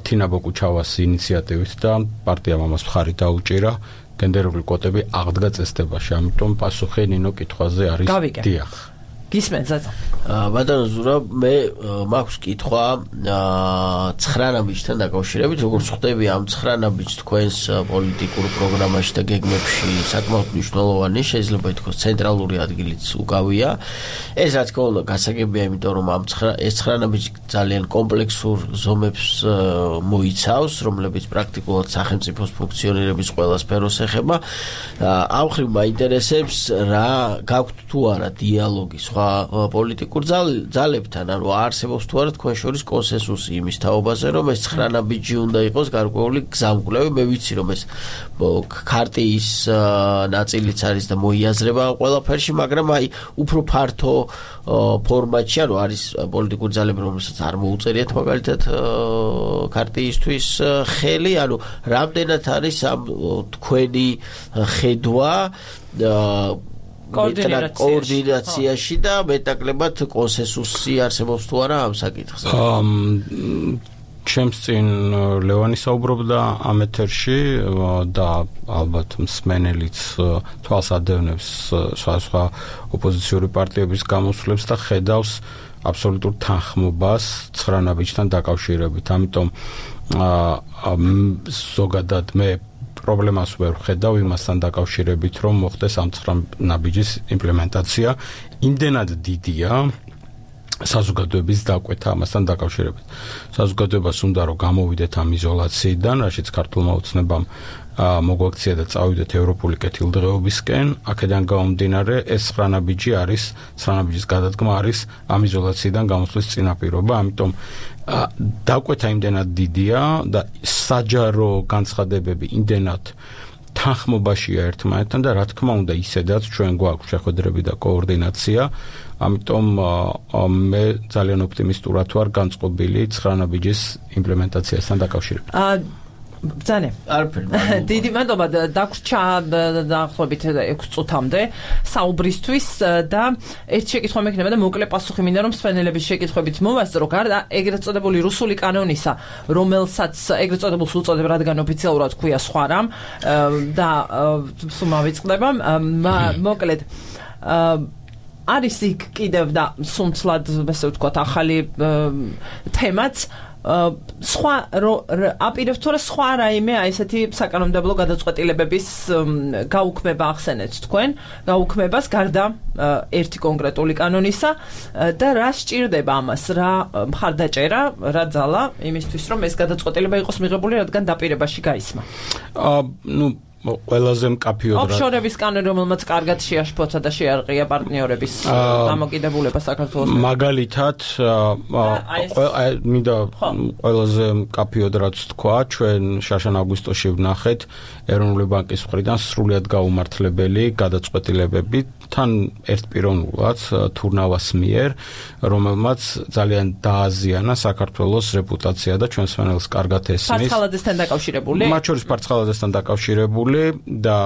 თინა ბოკუჩავას ინიციატივით და პარტიამ ამას მხარი დაუჭირა, გენდერული კვოტები აღდგა წესდებაში. ამიტომ პასუხი ნინო კითხვაზე არის დიახ. გისმენთ ზაზა. ბატონო ზურაბ, მე მაქვს კითხვა 9 ნაბიჯთან დაკავშირებით, როგორც ხვდები ამ 9 ნაბიჯს თქვენს პოლიტიკურ პროგრამაში და გეგმებში საკმაოდ მნიშვნელოვანი, შეიძლება ითქვას ცენტრალური ადგილიც უკავია. ეს რა თქმა უნდა გასაგებია, იმიტომ რომ ეს 9 ნაბიჯი ძალიან კომპლექსურ ზომებს მოიცავს, რომლებიც პრაქტიკულად სახელმწიფოს ფუნქციონირების ყველა სფეროს ეხება. ამ ხრივ მაინტერესებს რა გაქვთ თუ არა დიალოგი სხვა პოლიტიკურ ძალებთან, ანუ არსებობს თუ არა თქვენ შორის კონსენსუსი იმის თაობაზე, რომ ეს 9 ნაბიჯი უნდა იყოს გარკვეული გზამკვლევი. მე ვიცი, რომ ეს ქარტიის ნაწილიც არის და მოიაზრება ამ ყველაფერში, მაგრამ აი უფრო ფართო ფორმატში, ანუ არის პოლიტიკური ძალები, რომელსაც არ მოუწერიათ მაგალითად ქარტიისთვის ხელი, ანუ რამდენად არის ამ თქვენი ხედვა კოორდინაციაში და მეტაკლებად კონსენსუსი არსებობს თუ არა ამ საკითხზე. ჩემს წინ ლევანი საუბრობდა ამ ეთერში და ალბათ მსმენელიც თვალს ადევნებს სხვა ოპოზიციური პარტიების გამოსვლებს და ხედავს აბსოლუტურ თანხმობას 9 ნაბიჯთან დაკავშირებით. ამიტომ ზოგადად მე პრობლემას ვერ ვხედავ იმასთან დაკავშირებით, რომ მოხდეს ამ 9 ნაბიჯის იმპლემენტაცია. იმდენად დიდია საზოგადოების დაკვეთა ამასთან დაკავშირებით. საზოგადოებას უნდა რომ გამოვიდეთ ამ იზოლაციიდან, რაშიც ქართულმა ოცნებამ მოგვაქცია და წავიდეთ ევროპული კეთილდღეობისკენ. აქედან გამომდინარე, ეს 9 ნაბიჯი არის, 9 ნაბიჯის გადადგმა არის ამ იზოლაციიდან გამოსვლის წინაპირობა, ამიტომ დაკვეთა იმდენად დიდია და საჯარო განცხადებები იმდენად თანხმობაშია ერთმანეთთან და რა თქმა უნდა ისედაც ჩვენ გვაქვს შეხვედრები და კოორდინაცია. ამიტომ მე ძალიან ოპტიმისტურად ვარ განწყობილი 9 ნაბიჯის იმპლემენტაციასთან დაკავშირებით. ბრძანე. დიდი მადლობა დაგვრჩა დაახლოებით 6 წუთამდე საუბრისთვის და ერთ შეკითხვა მექნება და მოკლე პასუხი მინდა რომ მსმენელების შეკითხვებით მოვასწრო გარდა ეგრეთ წოდებული რუსული კანონისა, რომელსაც ეგრეთ წოდებულს უწოდებ, რადგან ოფიციალურად ქვია სხვა რამ და სულ მავიწყდება. მოკლედ არის იქ კიდევ და სუნთლად, ესე ვთქვათ, ახალი თემაც სხვა აპირებს თუ რა სხვა რაიმე აი ესეთი საკანონმდებლო გადაწყვეტილებების გაუქმება ახსენეთ თქვენ გაუქმებას გარდა ერთი კონკრეტული კანონისა და რა სჭირდება ამას რა მხარდაჭერა რა ძალა იმისთვის რომ ეს გადაწყვეტილება იყოს მიღებული რადგან დაპირებაში გაისმა ну ყველაზე მკაფიოდ ოფშორების კანონი რომელმაც კარგად შეაშფოცა და შეარყია პარტნიორების დამოკიდებულება საქართველოს მაგალითად მინდა ყველაზე მკაფიოდ რაც თქვა ჩვენ შაშან აგვისტოში ვნახეთ ეროვნული ბანკის მხრიდან სრულიად გაუმართლებელი გადაწყვეტილებები თან ერთპიროვნულად თურნავას მიერ რომელმაც ძალიან დააზიანა საქართველოს რეპუტაცია და ჩვენს მენელს კარგად ესმის ფარცხალაძესთან დაკავშირებული მათ შორის ფარცხალაძესთან დაკავშირებული და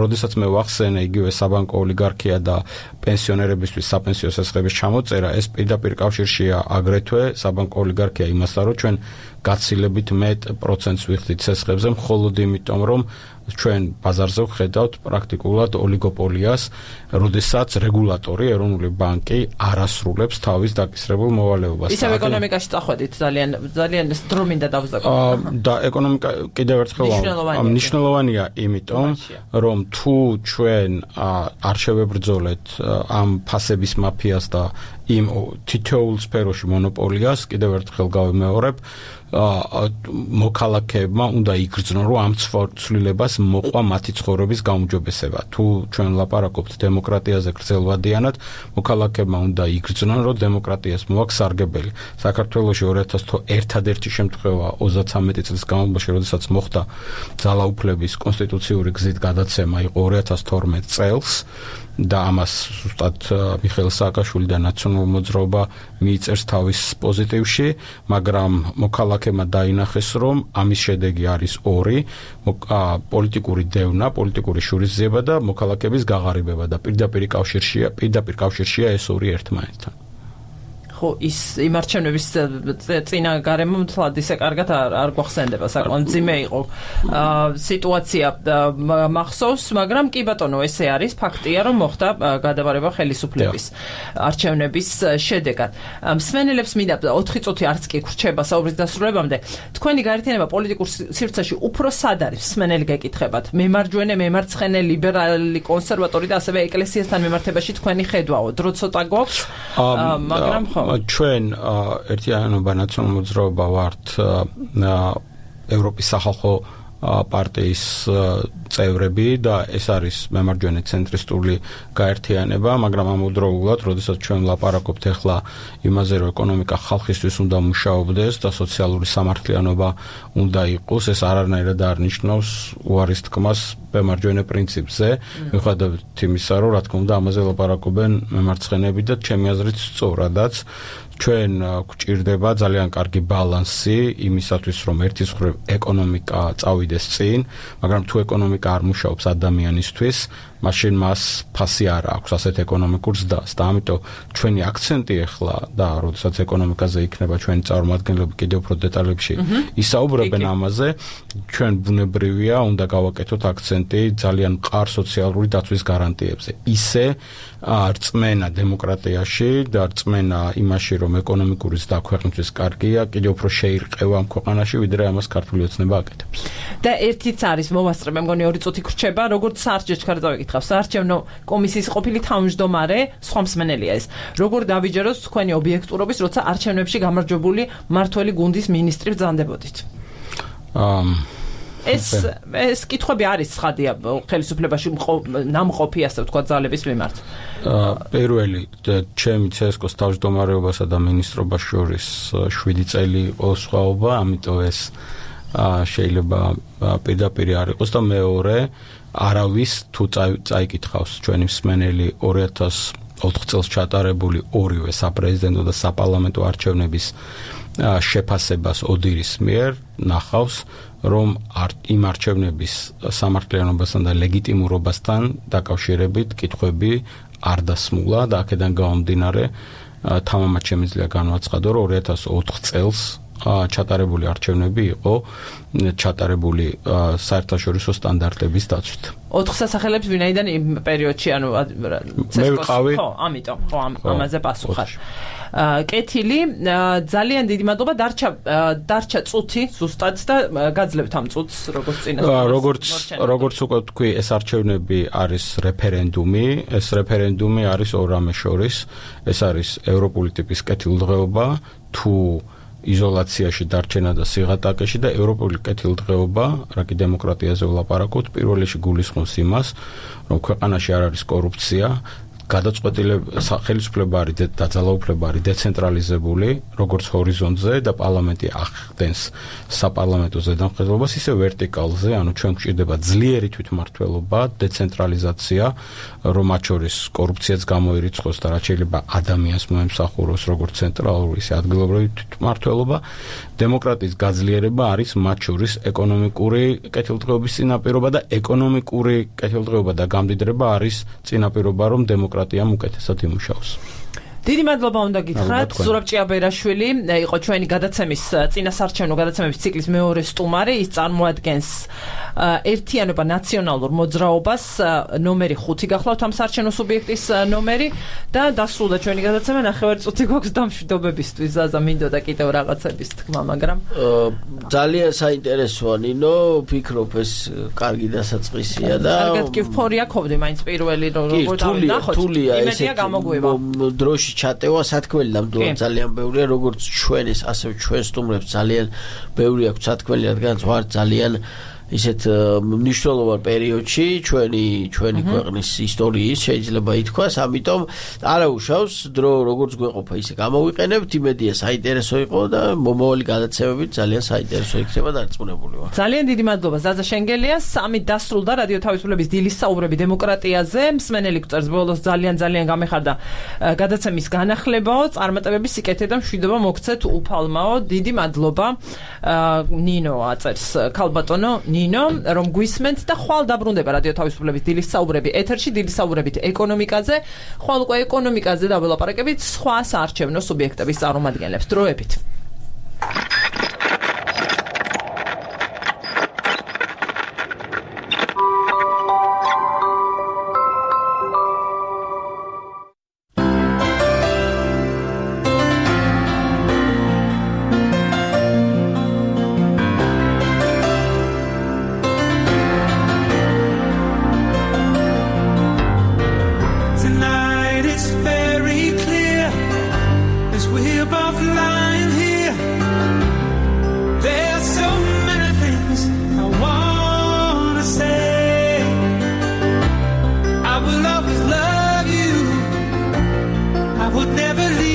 როდესაც მე ვახსენე იგივე საბანკო ოლიგარქია და პენსიონერებისთვის საპენსიო სასხების ჩამოწერა ეს პირდაპირ კავშირშია აგრეთვე საბანკო ოლიგარქია იმასთან რომ ჩვენ გაცილებით მეტ პროცენტს ვიხდით სასხებზე მხოლოდ იმიტომ რომ ჩვენ ბაზარზე ვხედავთ პრაქტიკულად ოლიგოპოლიას, როდესაც რეგულატორი ეროვნული ბანკი არასრულებს თავის დაკისრებულ მოვალეობას. ისევ ეკონომიკაში წახვედით ძალიან დრო მინდა დავზაკო. და ეკონომიკა კიდევ ერთხელ მნიშვნელოვანია იმიტომ, რომ თუ ჩვენ არ შევებრძოლეთ ამ ფასების მაფიას და იმ თითოეულ სფეროში მონოპოლიას, კიდევ ერთხელ გავიმეორებ მოქალაქეებმა უნდა იგრძნონ რომ ამ ცვლილებას მოყვა მათი ცხოვრების გაუმჯობესება. თუ ჩვენ ლაპარაკობთ დემოკრატიაზე გრძელვადიანად, მოქალაქეებმა უნდა იგრძნონ რომ დემოკრატიას მოაქვს სარგებელი. საქართველოში 2000 ერთადერთი შემთხვევა 33 წლის განმავლობაში, როდესაც მოხდა ძალაუფლების კონსტიტუციური გზით გადაცემა იყო 2012 წელს. და ამას ზუსტად მიხეილ სააკაშვილი და ნაციონალური მოძრაობა მიიწერს თავის პოზიტივში, მაგრამ მოქალაქეებმა დაინახეს, რომ ამის შედეგი არის ორი, პოლიტიკური დევნა, პოლიტიკური შურისძიება და მოქალაქეების გაღარიბება და პირდაპირ კავშირშია ეს ორი ერთმანეთთან. ხო ის იმ არჩევნების წინა გარემო მთლად ისე კარგად არ გვახსენდება საკმაოდ ძიმე იყო სიტუაცია მახსოვს მაგრამ კი ბატონო ესე არის ფაქტია რომ მოხდა გადაბარება ხელისუფლების არჩევნების შედეგად მსმენელებს მინდა 4 წუთი არც კი გრჩება საუბრის დასრულებამდე თქვენი გაერთიანება პოლიტიკურ სივრცეში უფრო სად არის მსმენელი გეკითხებათ მემარჯვენე მემარცხენე ლიბერალი კონსერვატორი და ასევე ეკლესიასთან მიმართებაში თქვენი ხედვაო დრო ცოტა გვაქვს მაგრამ ხო ჩვენ ერთიანობა ნაციონალური მოძრაობა ვართ ევროპის სახალხო პარტიის წევრები და ეს არის მემარჯვენე ცენტრისტული გაერთიანება, მაგრამ ამავდროულად, როდესაც ჩვენ ვლაპარაკობთ ახლა იმაზე, რომ ეკონომიკა ხალხისთვის უნდა მუშაობდეს და სოციალური სამართლიანობა უნდა იყოს, ეს არანაირად არ ნიშნავს უარის თქმას მემარჯვენე პრინციპზე, მიუხედავად იმისა, რომ რა თქმა უნდა ამაზე ვლაპარაკობენ მემარცხენეები და ჩემი აზრით სწორადაც ჩვენ გვჭირდება ძალიან კარგი ბალანსი იმისათვის, რომ ერთის მხრივ ეკონომიკა წავიდეს წინ, მაგრამ თუ ეკონომიკა არ მუშაობს ადამიანისთვის, მაშინ მას ფასი არ აქვს ასეთ ეკონომიკურ ზრდას და ამიტომ ჩვენი აქცენტი ახლა და როდესაც ეკონომიკაზე იქნება ჩვენი წარმომადგენლები კიდევ უფრო დეტალებში ისაუბრებენ ამაზე, ჩვენ ბუნებრივია უნდა გავაკეთოთ აქცენტი ძალიან მყარ სოციალური დაცვის გარანტიებზე. ისე რწმენა დემოკრატიაში და რწმენა იმაში, რომ ეკონომიკური ზრდა ქვეყნისთვის კარგია, კიდევ უფრო შეირყევა ამ ქვეყანაში, ვიდრე ამას ქართული ოცნება აკეთებს. და ერთიც არის მოვასწრებ, მე მგონი 2 წუთი გრჩება, როგორც საარჩევნო ჩქარდავიკითხავ, საარჩევნო კომისიის ყოფილი თავმჯდომარე, სხვა მსმენელია ეს. როგორ დავიჯეროთ თქვენი ობიექტურობის, როცა არჩევნებში გამარჯვებული მართველი გუნდის მინისტრი ბრძანდებოდით? ეს კითხვები არის ცხადია ხელისუფლებაში ნამყოფი ასე ვთქვა ძალების მიმართ. პირველი ჩემი CSKO-ს თავმჯდომარეობასა და მინისტრობას შორის 7 წელი იყო სხვაობა, ამიტომ ეს შეიძლება პირდაპირ არ იყოს და მეორე არავის თუ წაიკითხავს ჩვენი მსმენელი 2004 წელს ჩატარებული ორივე საპრეზიდენტო და საპარლამენტო არჩევნების შეფასებას ოდირის მიერ ნახავს, რომ იმ არჩევნების სამართლიანობასთან და ლეგიტიმურობასთან დაკავშირებით კითხვები არ დასმულა და აქედან გამომდინარე თამამად შემიძლია განვაცხადო, რომ 2004 წელს ჩატარებული არჩევნები იყო ჩატარებული საერთაშორისო სტანდარტების დაცვით. 4 სასახელებს ვინაიდან იმ პერიოდში ანუ მე ვიყავი. ხო, ამიტომ, ხო, ამაზე პასუხარ. კეთილი, ძალიან დიდი მადლობა, დარჩა წუთი ზუსტად და გაძლევთ ამ წუთს, როგორც წინასწარ. როგორც უკვე თქვი, ეს არჩევნები არის რეფერენდუმი, ეს რეფერენდუმი არის ორ რამეს შორის, ეს არის ევროპული ტიპის კეთილდღეობა, თუ იზოლაციაში დარჩენა და სიღატაკეში და ევროპული კეთილდღეობა, რა კი დემოკრატიაზე ვლაპარაკობთ, პირველ რიგში გულისხმობს იმას, რომ ქვეყანაში არ არის კორუფცია, გადაწყვეტილება ხელისუფლება არის და ძალაუფლება არის დეცენტრალიზებული, როგორც ჰორიზონტზე და პარლამენტი ახდენს საპარლამენტო ზედამხედველობას, ისე ვერტიკალზე, ანუ ჩვენ გვჭირდება ძლიერი თვითმმართველობა, დეცენტრალიზაცია, რომ მათ შორის კორუფციაც გამოირიცხოს და რაც შეიძლება ადამიანს მოემსახუროს როგორც ცენტრალური, ისე ადგილობრივი თვითმმართველობა, დემოკრატიის გაძლიერება არის მათ შორის ეკონომიკური კეთილდღეობის წინაპირობა და ეკონომიკური კეთილდღეობა და გამდიდრება არის წინაპირობა, რომ დემოკრატიამ უკეთესად იმუშაოს. დიდი მადლობა უნდა გითხრათ. ზურაბ ჭიაბერაშვილი იყო ჩვენი გადაცემის წინასარჩევნო გადაცემების ციკლის მეორე სტუმარი. ის წარმოადგენს ერთიანობა ნაციონალურ მოძრაობას, ნომერი 5 გახლავთ ამ საარჩევნო სუბიექტის ნომერი და დასრულდა ჩვენი გადაცემა. ნახევარი წუთი გვაქვს დამშვიდობებისთვის. ზაზა მინდოდა კიდევ რაღაცების თქმა, მაგრამ ძალიან საინტერესოა ნინო, ვფიქრობ ეს კარგი დასაწყისია და კარგად კი ვფორია ქოვდი მაინც პირველი როგორ დავინახოთ. იმედია გამოგვივა. დროში ჩატევა სათქმელი ნამდვილად ძალიან ბევრია, როგორც ჩვენს, ასევე ჩვენ სტუმრებს ძალიან ბევრი აქვს სათქმელი, რადგანაც ვარ ძალიან ისეთ მნიშვნელოვან პერიოდში ჩვენი ქვეყნის ისტორიის შეიძლება ითქვას, ამიტომ არაუშავს დრო როგორც გვეყოფა ისე გამოვიყენებთ, იმედია საინტერესო იყო და მომავალი გადაცემებით ძალიან საინტერესო იქნება დარწმუნებული ვარ. ძალიან დიდი მადლობა ზაზა შენგელია. 3 დასრულდა რადიო თავისუფლების დილის საუბრები დემოკრატიაზე. მსმენელი გვწერს ბოლოს ძალიან გამეხარდა გადაცემის განახლებაო, წარმატებების სიკეთე და მშვიდობა მოგცეთ უფალმაო. დიდი მადლობა. ნინო აწერს ქალბატონო ნინო, რომ გვისმენთ და ხვალ დაბრუნდება რადიო თავისუფლების დილის საუბრები ეთერში, დილის საუბრებით ეკონომიკაზე, ხვალ უკვე ეკონომიკაზე დაველაპარაკებით სხვა საარჩევნო სუბიექტების წარმომადგენლებს. დროებით. Would never leave.